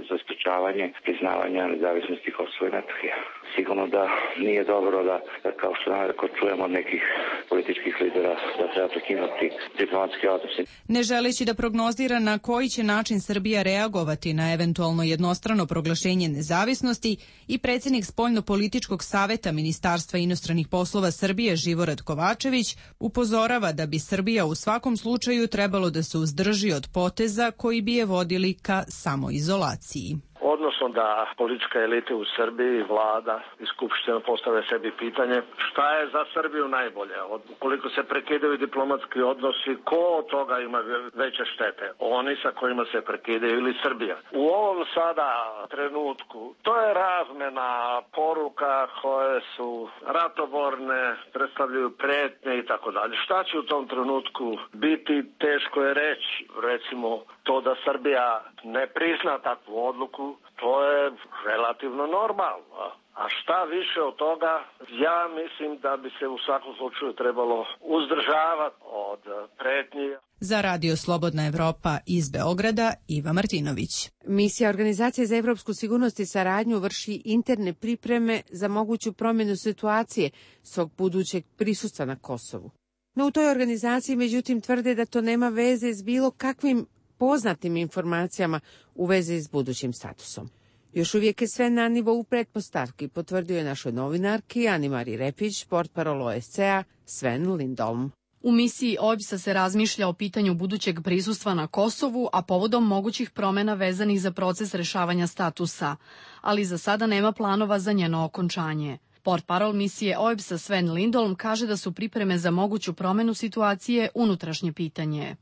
za sprečavanje priznavanja nezavisnosti Kosova i Metohije. Sigurno da nije dobro da kao što naravno čujemo od nekih političkih lidera da treba prekinuti diplomatske odnose. Ne želeći da prognozira na koji će način Srbija reagovati na eventualno jednostrano proglašenje nezavisnosti, i predsjednik Spoljno-političkog saveta Ministarstva inostranih poslova Srbije Živorad Kovačević upozorava da bi Srbija u svakom slučaju trebalo da se uzdrži od poteza koji bi je vodili ka samoizolaciji. Odnos odnosno da politička elita u Srbiji, vlada i skupština postave sebi pitanje šta je za Srbiju najbolje. Ukoliko se prekidaju diplomatski odnosi, ko od toga ima veće štete? Oni sa kojima se prekidaju ili Srbija? U ovom sada trenutku to je razmena poruka koje su ratoborne, predstavljaju pretnje i tako dalje. Šta će u tom trenutku biti, teško je reći. Recimo to da Srbija ne prizna takvu odluku, to je relativno normalno. A šta više od toga, ja mislim da bi se u svakom slučaju trebalo uzdržavati od pretnji. Za Radio Slobodna Evropa iz Beograda, Iva Martinović. Misija Organizacije za evropsku sigurnost i saradnju vrši interne pripreme za moguću promjenu situacije svog budućeg prisustva na Kosovu. No u toj organizaciji međutim tvrde da to nema veze s bilo kakvim poznatim informacijama u vezi s budućim statusom. Još uvijek je sve na nivou pretpostavki, potvrdio je našoj novinarki Ani-Mari Repić, portparol OSCE-a Sven Lindholm. U misiji OEBS-a se razmišlja o pitanju budućeg prisustva na Kosovu, a povodom mogućih promjena vezanih za proces rešavanja statusa, ali za sada nema planova za njeno okončanje. Portparol misije OEBS-a Sven Lindholm kaže da su pripreme za moguću promjenu situacije unutrašnje pitanje.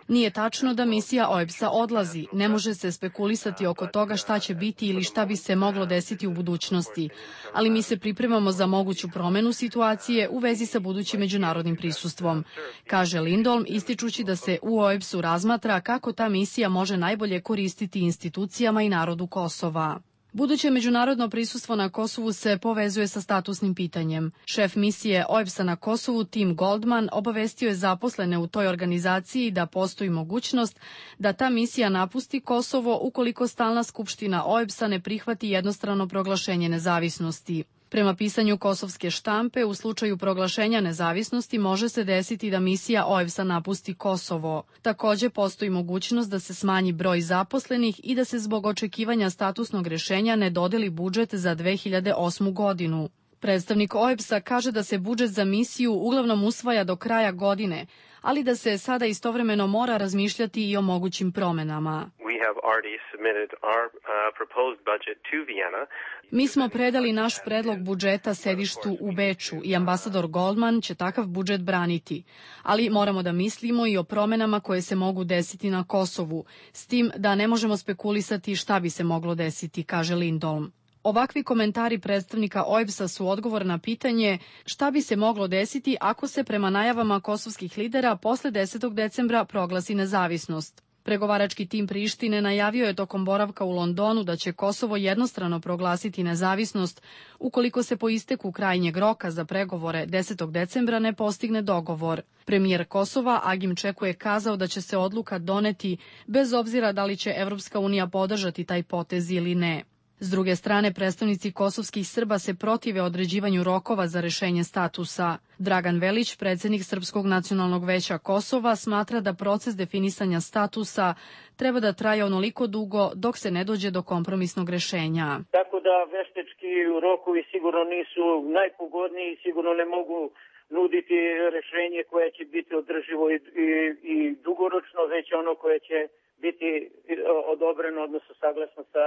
Nije tačno da misija OEBS-a odlazi. Ne može se spekulisati oko toga šta će biti ili šta bi se moglo desiti u budućnosti, ali mi se pripremamo za moguću promjenu situacije u vezi sa budućim međunarodnim prisustvom, kaže Lindholm, ističući da se u OEBS-u razmatra kako ta misija može najbolje koristiti institucijama i narodu Kosova. Buduće međunarodno prisustvo na Kosovu se povezuje sa statusnim pitanjem. Šef misije OEBS-a na Kosovu Tim Goldman obavestio je zaposlene u toj organizaciji da postoji mogućnost da ta misija napusti Kosovo ukoliko stalna skupština OEBS-a ne prihvati jednostrano proglašenje nezavisnosti. Prema pisanju kosovske štampe, u slučaju proglašenja nezavisnosti može se desiti da misija OEBS-a napusti Kosovo. Također postoji mogućnost da se smanji broj zaposlenih i da se zbog očekivanja statusnog rješenja ne dodeli budžet za 2008. godinu. Predstavnik OEBS-a kaže da se budžet za misiju uglavnom usvaja do kraja godine, ali da se sada istovremeno mora razmišljati i o mogućim promjenama. Mi smo predali naš predlog budžeta sedištu u Beču i ambasador Goldman će takav budžet braniti, ali moramo da mislimo i o promjenama koje se mogu desiti na Kosovu, s tim da ne možemo spekulisati šta bi se moglo desiti, kaže Lindholm. Ovakvi komentari predstavnika OEBS-a su odgovor na pitanje šta bi se moglo desiti ako se prema najavama kosovskih lidera posle 10. decembra proglasi nezavisnost. Pregovarački tim Prištine najavio je tokom boravka u Londonu da će Kosovo jednostrano proglasiti nezavisnost ukoliko se po isteku krajnjeg roka za pregovore 10. decembra ne postigne dogovor. Premijer Kosova Agim Čeku je kazao da će se odluka doneti bez obzira da li će Evropska unija podržati taj potez ili ne. S druge strane, predstavnici kosovskih Srba se protive određivanju rokova za rešenje statusa. Dragan Velić, predsjednik Srpskog nacionalnog veća Kosova, smatra da proces definisanja statusa treba da traje onoliko dugo dok se ne dođe do kompromisnog rešenja. Tako da veštečki rokovi sigurno nisu najpogodniji i sigurno ne mogu nuditi rešenje koje će biti održivo i dugoročno, već ono koje će biti odobreno, odnosno saglasno sa,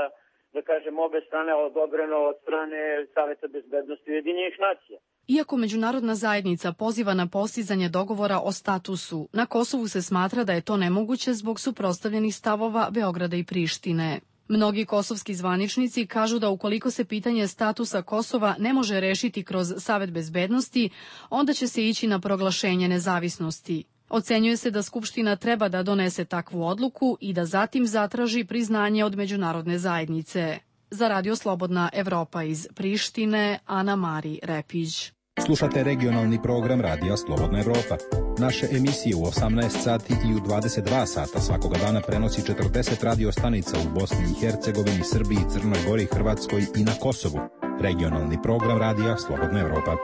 da kažem, obe strane, odobreno od strane Saveta bezbednosti Ujedinjenih nacija. Iako međunarodna zajednica poziva na postizanje dogovora o statusu, na Kosovu se smatra da je to nemoguće zbog suprotstavljenih stavova Beograda i Prištine. Mnogi kosovski zvaničnici kažu da ukoliko se pitanje statusa Kosova ne može rešiti kroz Savet bezbednosti, onda će se ići na proglašenje nezavisnosti. Ocenjuje se da Skupština treba da donese takvu odluku i da zatim zatraži priznanje od međunarodne zajednice. Za Radio Slobodna Evropa iz Prištine, Ana-Mari Repić. Slušate regionalni program Radija Slobodna Evropa. Naše emisije u 18 sati i u 22 sata svakoga dana prenosi 40 radio stanica u Bosni i Hercegovini, Srbiji, Crnoj Gori, Hrvatskoj i na Kosovu. Regionalni program Radija Slobodna Evropa.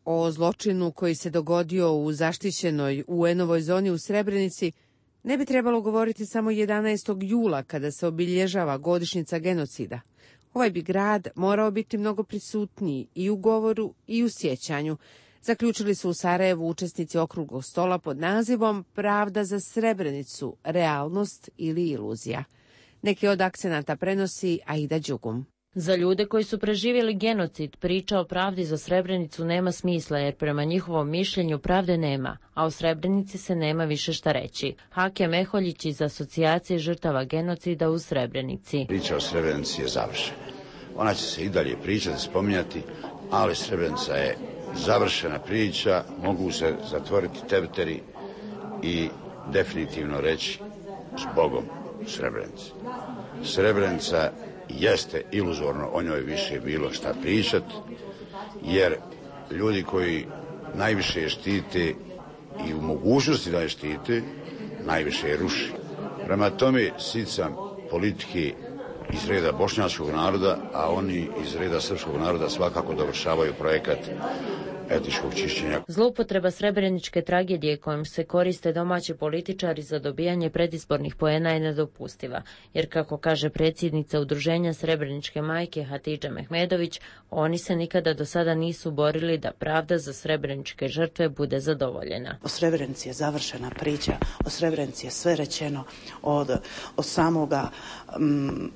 O zločinu koji se dogodio u zaštićenoj UN-ovoj zoni u Srebrenici ne bi trebalo govoriti samo 11. jula kada se obilježava godišnjica genocida. Ovaj bi grad morao biti mnogo prisutniji i u govoru i u sjećanju, zaključili su u Sarajevu učesnici okruglog stola pod nazivom Pravda za Srebrenicu, realnost ili iluzija. Neki od akcenata prenosi Aida Đugum. Za ljude koji su preživjeli genocid, priča o pravdi za Srebrenicu nema smisla jer prema njihovom mišljenju pravde nema, a o Srebrenici se nema više šta reći. Hakem Meholjić iz Asocijacije žrtava genocida u Srebrenici. Priča o Srebrenici je završena. Ona će se i dalje pričati, spominjati, ali Srebrenica je završena priča, mogu se zatvoriti tepteri i definitivno reći s Bogom Srebrenici. Srebrenica jeste iluzorno, o njoj više bilo šta pričati, jer ljudi koji najviše je štite i u mogućnosti da je štite, najviše je ruši. Prema tome, sicam politike iz reda bošnjačkog naroda, a oni iz reda srpskog naroda svakako dovršavaju projekat etničkog čišćenja. Zloupotreba srebreničke tragedije kojom se koriste domaći političari za dobijanje predizbornih poena je nedopustiva, jer kako kaže predsjednica Udruženja Srebreničke majke Hatidža Mehmedović, oni se nikada do sada nisu borili da pravda za srebreničke žrtve bude zadovoljena. O Srebrenici je završena priča, o Srebrenici je sve rečeno od samoga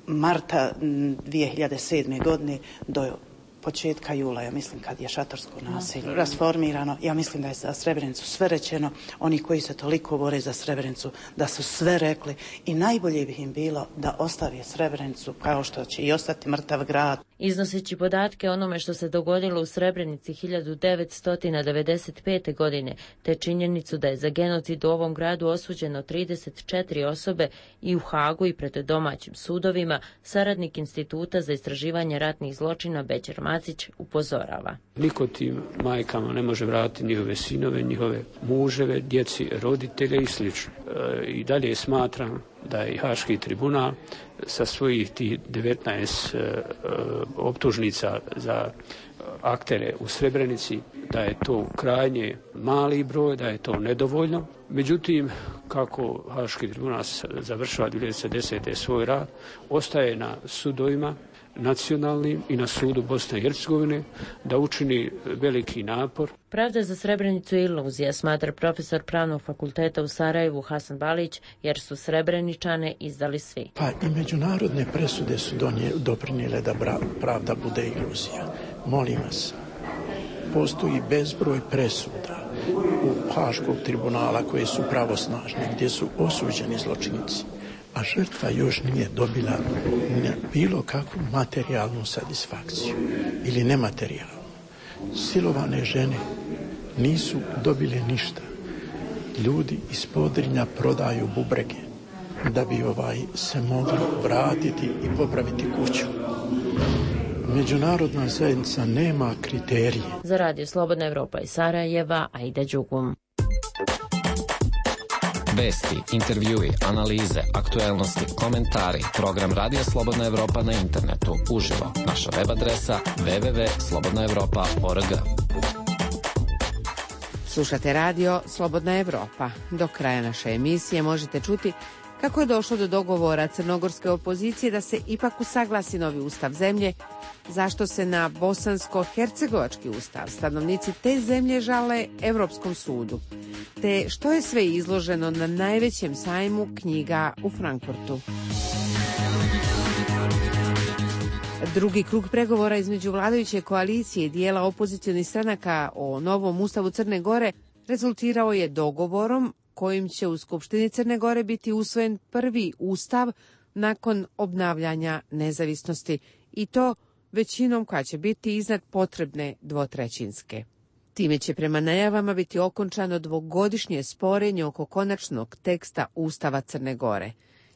marta 2007. godine do početka jula, ja mislim kad je šatorsko nasilje rasformirano, ja mislim da je za Srebrenicu sve rečeno, oni koji se toliko bore za Srebrenicu, da su sve rekli i najbolje bi im bilo da ostavi Srebrenicu kao što će i ostati mrtav grad. Iznoseći podatke o onome što se dogodilo u Srebrenici 1995. godine, te činjenicu da je za genocid u ovom gradu osuđeno 34 osobe i u Hagu i pred domaćim sudovima, saradnik Instituta za istraživanje ratnih zločina Bećer Macić upozorava. Niko tim majkama ne može vratiti njihove sinove, njihove muževe, djeci, roditelje i sl. I dalje smatram da je Haški tribunal sa svojih tih 19 optužnica za aktere u Srebrenici, da je to krajnje mali broj, da je to nedovoljno. Međutim, kako Haški tribunal završava 2010. svoj rad, ostaje na sudovima nacionalnim i na sudu Bosne i Hercegovine da učini veliki napor. Pravda za Srebrenicu je iluzija, smatra profesor Pravnog fakulteta u Sarajevu Hasan Balić, jer su Srebreničane izdali svi. Pa i međunarodne presude su doprinijele da pravda bude iluzija. Molim vas, postoji bezbroj presuda u Haškog tribunala koje su pravosnažne, gdje su osuđeni zločinci, a žrtva još nije dobila bilo kakvu materijalnu satisfakciju ili nematerijalnu. Silovane žene nisu dobile ništa. Ljudi iz Podrinja prodaju bubrege da bi se mogli vratiti i popraviti kuću. Međunarodna zajednica nema kriterije. Za Radio Slobodna Evropa iz Sarajeva, Aida Đugum. Vesti, intervjui, analize, aktuelnosti, komentari. Program Radio Slobodna Evropa na internetu. Uživo. Naša web adresa www.slobodnaevropa.org. Slušate radio Slobodna Evropa. Do kraja naše emisije možete čuti kako je došlo do dogovora crnogorske opozicije da se ipak usaglasi novi ustav zemlje, zašto se na bosansko-hercegovački ustav stanovnici te zemlje žale Europskom sudu, te što je sve izloženo na najvećem sajmu knjiga u Frankfurtu. Drugi krug pregovora između vladajuće koalicije i dijela opozicionih stranaka o novom ustavu Crne Gore rezultirao je dogovorom kojim će u Skupštini Crne Gore biti usvojen prvi ustav nakon obnavljanja nezavisnosti, i to većinom koja će biti iznad potrebne dvotrećinske. Time će prema najavama biti okončano dvogodišnje sporenje oko konačnog teksta Ustava Crne Gore.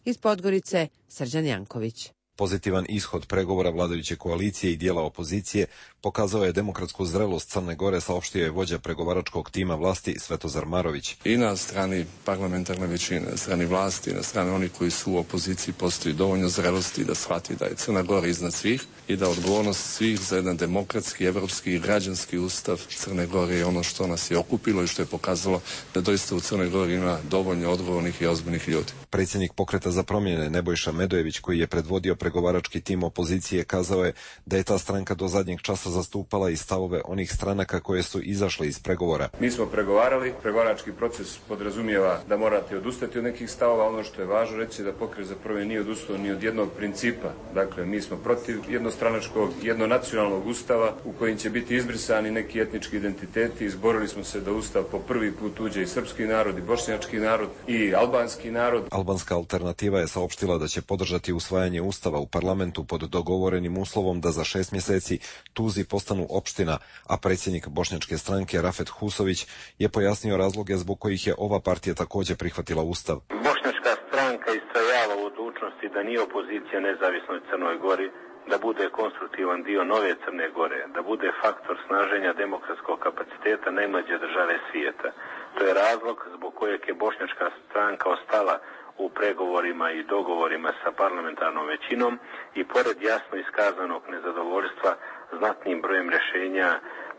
Iz Podgorice, Srđan Janković. Pozitivan ishod pregovora vladajuće koalicije i dijela opozicije pokazao je demokratsku zrelost Crne Gore, saopštio je vođa pregovaračkog tima vlasti Svetozar Marović. I na strani parlamentarne većine, na strani vlasti, na strani onih koji su u opoziciji postoji dovoljno zrelosti da shvati da je Crna Gora iznad svih i da odgovornost svih za jedan demokratski, evropski i građanski ustav Crne Gore je ono što nas je okupilo i što je pokazalo da doista u Crnoj Gori ima dovoljno odgovornih i ozbiljnih ljudi. Predsjednik Pokreta za promjene Nebojša Medojević, koji je predvodio pregovarački tim opozicije kazao je da je ta stranka do zadnjeg časa zastupala i stavove onih stranaka koje su izašle iz pregovora. Mi smo pregovarali, pregovarački proces podrazumijeva da morate odustati od nekih stavova, ono što je važno reći da Pokret za promjenu nije odustao ni od jednog principa. Dakle, mi smo protiv jednostranačkog, jednonacionalnog ustava u kojim će biti izbrisani neki etnički identiteti. Izborili smo se da ustav po prvi put uđe i srpski narod, i bošnjački narod, i albanski narod. Albanska alternativa je saopštila da će podržati usvajanje ustava u parlamentu pod dogovorenim uslovom da za 6 mjeseci Tuzi postanu opština, a predsjednik bošnjačke stranke Rafet Husović je pojasnio razloge zbog kojih je ova partija također prihvatila ustav. Bošnjačka stranka istrajava u odlučnosti da nije opozicija nezavisnoj Crnoj Gori, da bude konstruktivan dio nove Crne Gore, da bude faktor snaženja demokratskog kapaciteta najmlađe države svijeta. To je razlog zbog kojeg je bošnjačka stranka ostala u pregovorima i dogovorima sa parlamentarnom većinom i pored jasno iskazanog nezadovoljstva znatnim brojem rješenja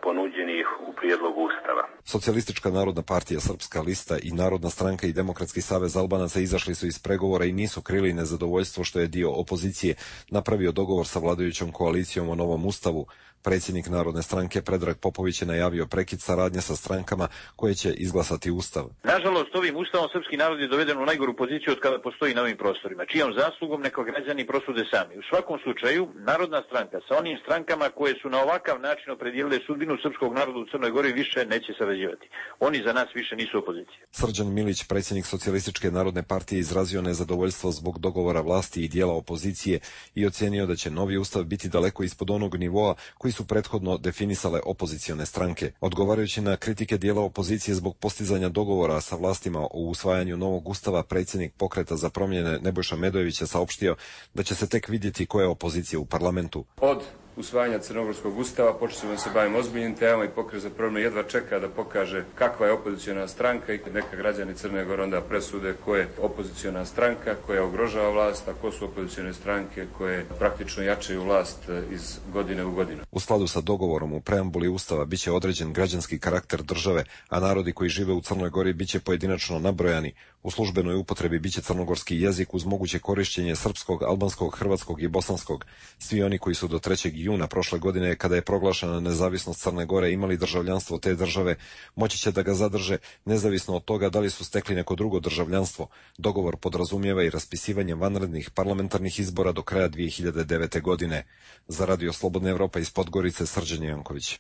ponuđenih u prijedlogu ustava. Socijalistička narodna partija, Srpska lista i Narodna stranka i Demokratski savez Albanaca izašli su iz pregovora i nisu krili nezadovoljstvo što je dio opozicije napravio dogovor sa vladajućom koalicijom o novom ustavu. Predsjednik Narodne stranke Predrag Popović je najavio prekid saradnje sa strankama koje će izglasati ustav. Nažalost, ovim ustavom srpski narod je doveden u najgoru poziciju od kada postoji na ovim prostorima, čijom zaslugom neko građani prosude sami. U svakom slučaju, Narodna stranka sa onim strankama koje su na ovakav način opredijelile sudbinu srpskog naroda u Crnoj Gori više neće sarađivati. Oni za nas više nisu opozicija. Srđan Milić, predsjednik Socijalističke narodne partije, izrazio nezadovoljstvo zbog dogovora vlasti i dijela opozicije i ocijenio da će novi ustav biti daleko ispod onog nivoa koji su prethodno definisale opozicione stranke. Odgovarajući na kritike dijela opozicije zbog postizanja dogovora sa vlastima o usvajanju novog ustava, predsjednik Pokreta za promjene Nebojša Medojević je saopštio da će se tek vidjeti koja je opozicija u parlamentu. Od usvajanja Crnogorskog ustava počeli se bavimo ozbiljnim temama i Pokret za promjenu jedva čeka da pokaže kakva je opoziciona stranka i neka građani Crne Gore onda presude ko je opoziciona stranka koja ugrožava vlast, a ko su opozicione stranke koje praktično jačaju vlast iz godine u godinu. U skladu sa dogovorom u preambuli ustava biće određen građanski karakter države, a narodi koji žive u Crnoj Gori biće pojedinačno nabrojani. U službenoj upotrebi biće crnogorski jezik uz moguće korištenje srpskog, albanskog, hrvatskog i bosanskog. Svi oni koji su do 3. juna prošle godine, kada je proglašena nezavisnost Crne Gore, imali državljanstvo te države, moći će da ga zadrže nezavisno od toga da li su stekli neko drugo državljanstvo. Dogovor podrazumijeva i raspisivanje vanrednih parlamentarnih izbora do kraja 2009. godine. Za Radio Slobodna Evropa iz Podgorice, Srđan Janković.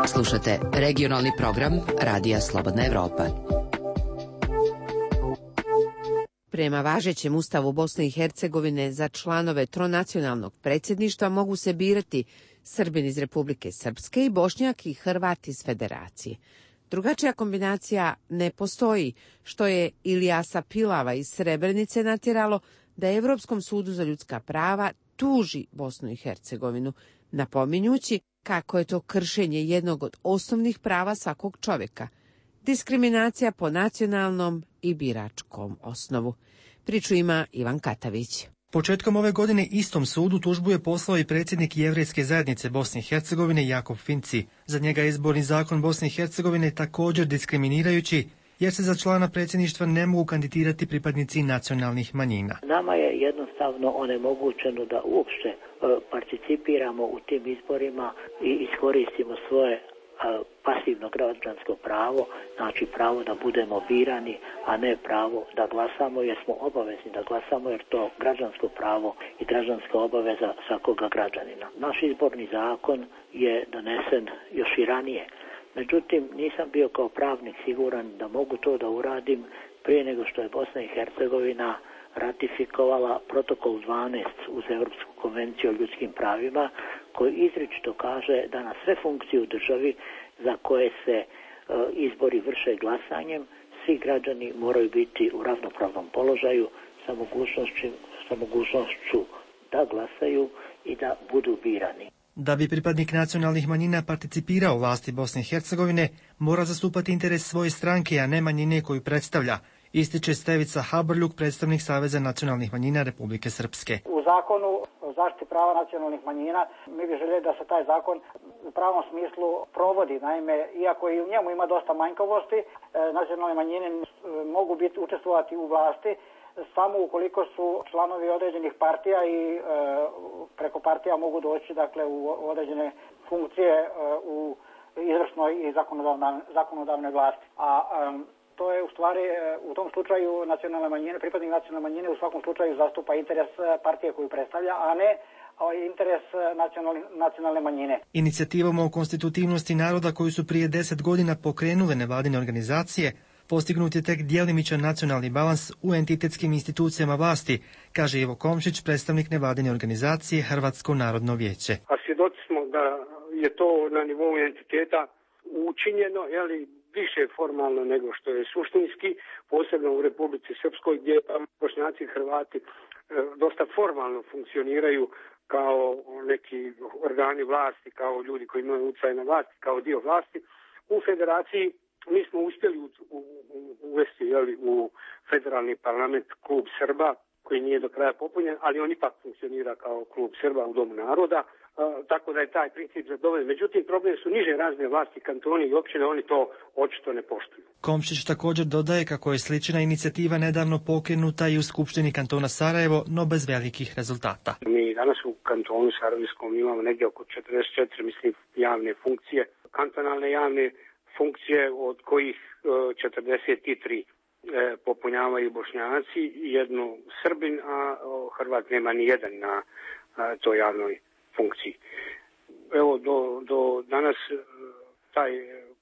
Slušate regionalni program Radija Slobodna Evropa. Prema važećem ustavu Bosne i Hercegovine za članove tronacionalnog predsjedništva mogu se birati Srbin iz Republike Srpske i Bošnjak i Hrvat iz Federacije. Drugačija kombinacija ne postoji, što je Ilijasa Pilava iz Srebrenice natjeralo da Evropskom sudu za ljudska prava tuži Bosnu i Hercegovinu, napominjući kako je to kršenje jednog od osnovnih prava svakog čovjeka, diskriminacija po nacionalnom i biračkom osnovu. Priču ima Ivan Katavić. Početkom ove godine istom sudu tužbu je poslao i predsjednik Jevrejske zajednice Bosne i Hercegovine Jakov Finci. Za njega je izborni zakon Bosne i Hercegovine također diskriminirajući, jer se za člana predsjedništva ne mogu kandidirati pripadnici nacionalnih manjina. Nama je jednostavno onemogućeno da uopšte participiramo u tim izborima i iskoristimo svoje pasivno građansko pravo, znači pravo da budemo birani, a ne pravo da glasamo, jer smo obavezni da glasamo, jer to građansko pravo i građanska obaveza svakoga građanina. Naš izborni zakon je donesen još i ranije. Međutim, nisam bio kao pravnik siguran da mogu to da uradim prije nego što je Bosna i Hercegovina ratifikovala protokol 12 uz Europsku konvenciju o ljudskim pravima, koji izričito kaže da na sve funkcije u državi za koje se izbori vrše glasanjem, svi građani moraju biti u ravnopravnom položaju sa mogućnošću da glasaju i da budu birani. Da bi pripadnik nacionalnih manjina participirao u vlasti Bosne i Hercegovine, mora zastupati interes svoje stranke, a ne manjine koju predstavlja, ističe Stevica Habrljuk, predstavnik Saveza nacionalnih manjina Republike Srpske. U zakonu o zaštiti prava nacionalnih manjina mi bi željeli da se taj zakon u pravom smislu provodi. Naime, iako i u njemu ima dosta manjkavosti, nacionalne manjine mogu učestvovati u vlasti samo ukoliko su članovi određenih partija i preko partija mogu doći dakle u određene funkcije u izvršnoj i zakonodavnoj vlasti. A to je u stvari u tom slučaju nacionalne manjine, pripadnik nacionalne manjine u svakom slučaju zastupa interes partije koju predstavlja, a ne interes nacionalne manjine. Inicijativom o konstitutivnosti naroda koju su prije 10 godina pokrenule nevladine organizacije, postignut je tek djelimičan nacionalni balans u entitetskim institucijama vlasti, kaže Ivo Komšić, predstavnik nevladine organizacije Hrvatsko narodno vijeće. A svjedoci smo da je to na nivou entiteta učinjeno, više formalno nego što je suštinski, posebno u Republici Srpskoj gdje Bošnjaci i Hrvati dosta formalno funkcioniraju kao neki organi vlasti, kao ljudi koji imaju utjecaj na vlasti, kao dio vlasti. U federaciji mi smo uspjeli uvesti u federalni parlament klub Srba, koji nije do kraja popunjen, ali on ipak funkcionira kao klub Srba u Domu naroda, tako da je taj princip zadovoljen. Međutim, problem su niže razne vlasti, kantoni i općine, oni to očito ne poštuju. Komšić također dodaje kako je slična inicijativa nedavno pokrenuta i u Skupštini kantona Sarajevo, no bez velikih rezultata. Mi danas u kantonu Sarajevskom imamo negdje oko 44, javne funkcije, kantonalne javne funkcije, od kojih 43 popunjavaju Bošnjaci, jednu Srbin, a Hrvat nema ni jedan na toj javnoj funkciji. Evo, do danas taj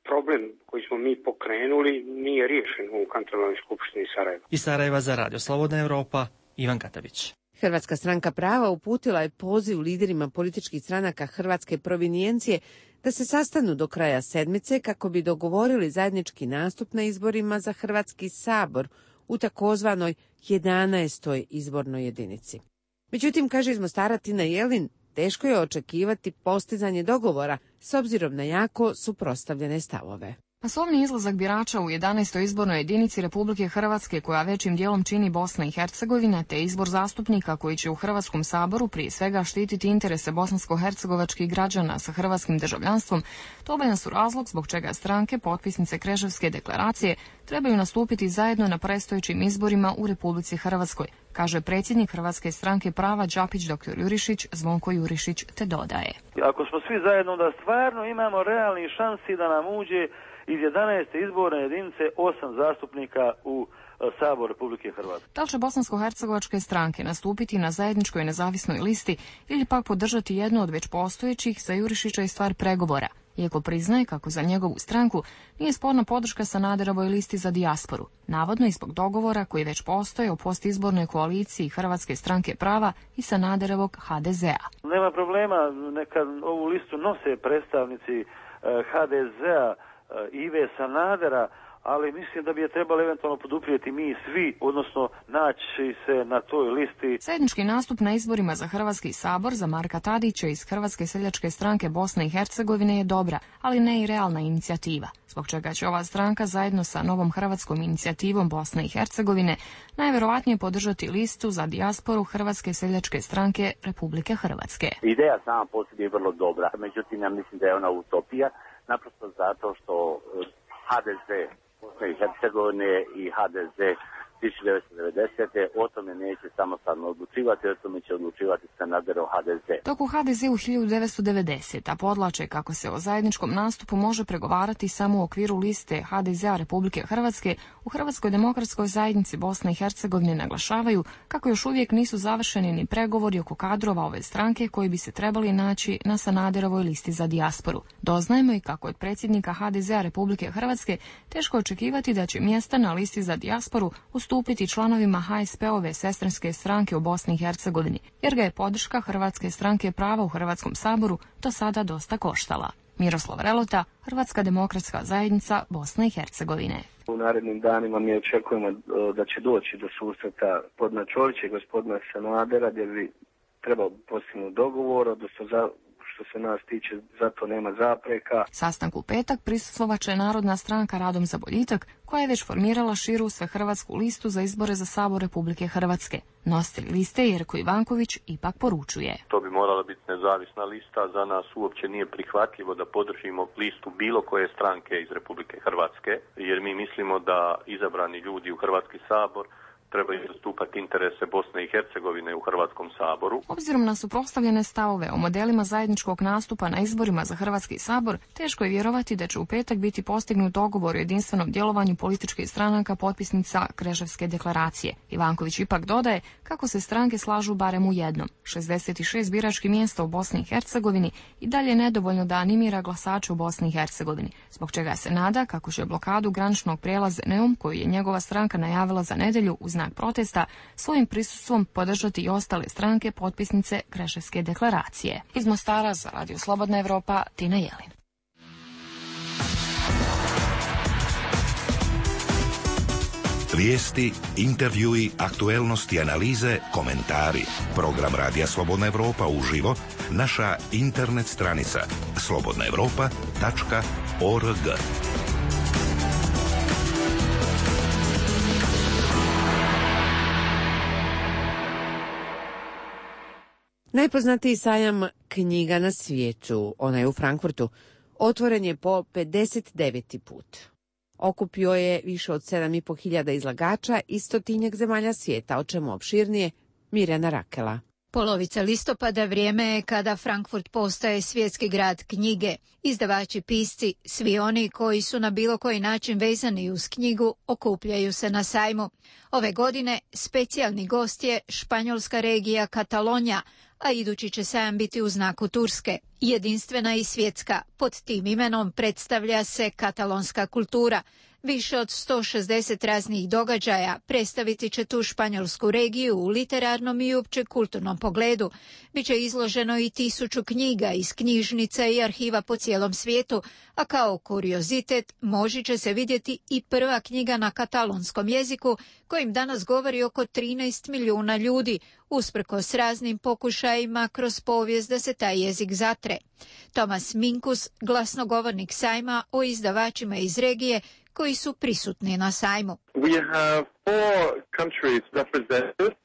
problem koji smo mi pokrenuli nije riješen u kantonalnoj skupštini Sarajeva. Iz Sarajeva za Radio Slobodna Evropa, Ivan Katavić. Hrvatska stranka prava uputila je poziv liderima političkih stranaka hrvatske provinijencije da se sastanu do kraja sedmice kako bi dogovorili zajednički nastup na izborima za Hrvatski sabor u takozvanoj 11. izbornoj jedinici. Međutim, kaže iz Mostara Tina Jelin, teško je očekivati postizanje dogovora s obzirom na jako suprotstavljene stavove. Masovni izlazak birača u 11. izbornoj jedinici Republike Hrvatske, koja većim dijelom čini Bosna i Hercegovina, te izbor zastupnika koji će u Hrvatskom saboru prije svega štititi interese bosansko-hercegovačkih građana sa hrvatskim državljanstvom, dovoljan su razlog zbog čega stranke, potpisnice Kreševske deklaracije, trebaju nastupiti zajedno na predstojećim izborima u Republici Hrvatskoj, kaže predsjednik Hrvatske stranke prava Đapić dr. Jurišić, Zvonko Jurišić, te dodaje. Ako smo svi zajedno, da stvarno imamo realni šansi da nam uđe iz 11. izborne jedinice 8 zastupnika u Sabor Republike Hrvatske. Da li će bosansko-hercegovačke stranke nastupiti na zajedničkoj nezavisnoj listi ili pak podržati jednu od već postojećih, za Jurišića je stvar pregovora, iako priznaje kako za njegovu stranku nije sporna podrška Sanaderovoj listi za dijasporu, navodno i zbog dogovora koji već postoje o postizbornoj koaliciji Hrvatske stranke prava i Sanaderovog HDZ-a. Nema problema, neka ovu listu nose predstavnici HDZ-a, Ive Sanadera, ali mislim da bi je trebali eventualno poduprijeti mi svi, odnosno naći se na toj listi. Zajednički nastup na izborima za Hrvatski sabor za Marka Tadića iz Hrvatske seljačke stranke Bosne i Hercegovine je dobra, ali ne i realna inicijativa, zbog čega će ova stranka zajedno sa novom hrvatskom inicijativom Bosne i Hercegovine najverovatnije podržati listu za dijasporu Hrvatske seljačke stranke Republike Hrvatske. Ideja sama po sebi je vrlo dobra, međutim ja mislim da je ona utopija, naprosto zato što HDZ Bosne i Hercegovine i HDZ 1990. o tome neće samostalno odlučivati, o tome će odlučivati Sanaderov HDZ. Dok u HDZ-u 1990. podlače kako se o zajedničkom nastupu može pregovarati samo u okviru liste HDZ-a Republike Hrvatske, u Hrvatskoj demokratskoj zajednici Bosne i Hercegovine naglašavaju kako još uvijek nisu završeni ni pregovori oko kadrova ove stranke koji bi se trebali naći na Sanaderovoj listi za dijasporu. Doznajemo i kako od predsjednika HDZ-a Republike Hrvatske teško očekivati da će mjesta na listi za dijasporu ustupiti članovima HSP-ove sestrinske stranke u Bosni i Hercegovini, jer ga je podrška Hrvatske stranke prava u Hrvatskom saboru do sada dosta koštala. Miroslav Relota, Hrvatska demokratska zajednica Bosne i Hercegovine. U narednim danima mi očekujemo da će doći do susreta gospodina Čovića i gospodina Sanadera, gdje bi trebao postignuti dogovor, odnosno što se nas tiče, zato nema zapreka. Sastanku u petak prisustvovaće Narodna stranka Radom za boljitak, koja je već formirala širu svehrvatsku listu za izbore za Sabor Republike Hrvatske. Nositelj liste Jerko Ivanković ipak poručuje. To bi morala biti nezavisna lista, za nas uopće nije prihvatljivo da podržimo listu bilo koje stranke iz Republike Hrvatske, jer mi mislimo da izabrani ljudi u Hrvatski sabor trebaju zastupati interese Bosne i Hercegovine u Hrvatskom saboru. Obzirom na suprotstavljene stavove o modelima zajedničkog nastupa na izborima za Hrvatski sabor, teško je vjerovati da će u petak biti postignut dogovor o jedinstvenom djelovanju političkih stranaka potpisnica Kreševske deklaracije. Ivanković ipak dodaje kako se stranke slažu barem u jednom. 66 biračkih mjesta u Bosni i Hercegovini i dalje je nedovoljno da animira glasače u Bosni i Hercegovini, zbog čega se nada kako će blokadu graničnog prijelaza Neum, koju je njegova stranka najavila za nedjelju u znak protesta, svojim prisustvom podržati i ostale stranke potpisnice Kreševske deklaracije. Iz Mostara za Radio Slobodna Evropa, Tina Jelin. Vijesti, intervjui, aktuelnosti, analize, komentari. Program Radija Slobodna Evropa uživo, naša internet stranica slobodnaevropa.org. Najpoznatiji sajam knjiga na svijetu, onaj u Frankfurtu, otvoren je po 59. put. Okupio je više od 7.500 izlagača iz 100 zemalja svijeta, o čemu opširnije Mirjana Rakela. Polovica listopada vrijeme je kada Frankfurt postaje svjetski grad knjige. Izdavači, pisci, svi oni koji su na bilo koji način vezani uz knjigu, okupljaju se na sajmu. Ove godine specijalni gost je španjolska regija Katalonija, a idući će sajam biti u znaku Turske. Jedinstvena i svjetska, pod tim imenom predstavlja se katalonska kultura. Više od 160 raznih događaja predstaviti će tu španjolsku regiju u literarnom i uopće kulturnom pogledu. Biće izloženo i 1000 knjiga iz knjižnica i arhiva po cijelom svijetu, a kao kuriozitet moći će se vidjeti i prva knjiga na katalonskom jeziku, kojim danas govori oko 13 milijuna ljudi, usprkos raznim pokušajima kroz povijest da se taj jezik zatre. Tomas Minkus, glasnogovornik sajma o izdavačima iz regije koji su prisutni na sajmu.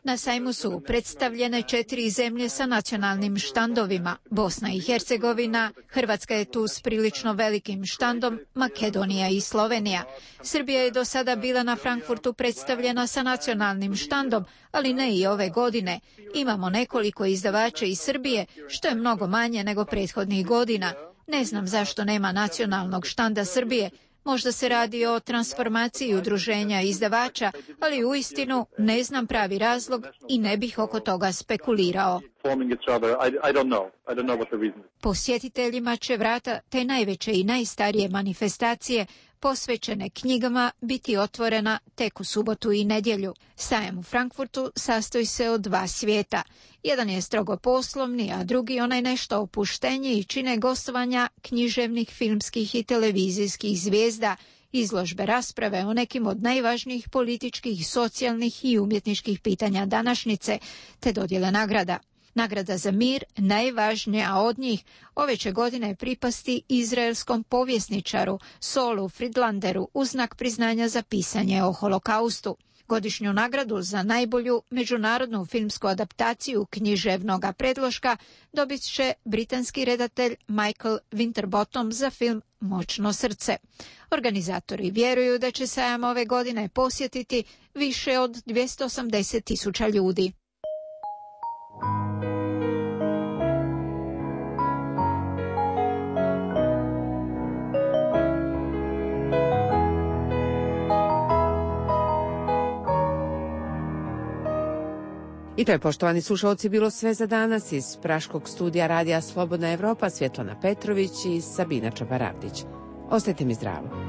Na sajmu su predstavljene 4 zemlje sa nacionalnim štandovima. Bosna i Hercegovina, Hrvatska je tu s prilično velikim štandom, Makedonija i Slovenija. Srbija je do sada bila na Frankfurtu predstavljena sa nacionalnim štandom, ali ne i ove godine. Imamo nekoliko izdavača iz Srbije, što je mnogo manje nego prethodnih godina. Ne znam zašto nema nacionalnog štanda Srbije. Možda se radi o transformaciji udruženja izdavača, ali uistinu ne znam pravi razlog i ne bih oko toga spekulirao. Posjetiteljima će vrata te najveće i najstarije manifestacije posvećene knjigama biti otvorena tek u subotu i nedjelju. Sajam u Frankfurtu sastoji se od 2 svijeta. Jedan je strogo poslovni, a drugi onaj nešto opušteniji i čine gostovanja književnih, filmskih i televizijskih zvijezda, izložbe, rasprave o nekim od najvažnijih političkih, socijalnih i umjetničkih pitanja današnjice, te dodjele nagrada. Nagrada za mir, najvažnija od njih, ove će godine pripasti izraelskom povjesničaru Saulu Friedlanderu u znak priznanja za pisanje o holokaustu. Godišnju nagradu za najbolju međunarodnu filmsku adaptaciju književnog predloška dobit će britanski redatelj Michael Winterbottom za film Moćno srce. Organizatori vjeruju da će sajam ove godine posjetiti više od 280.000 ljudi. I to je, poštovani slušalci, bilo sve za danas. Iz praškog studija Radija Slobodna Evropa, Svjetlana Petrović i Sabina Čabaravdić. Ostajte mi zdravo.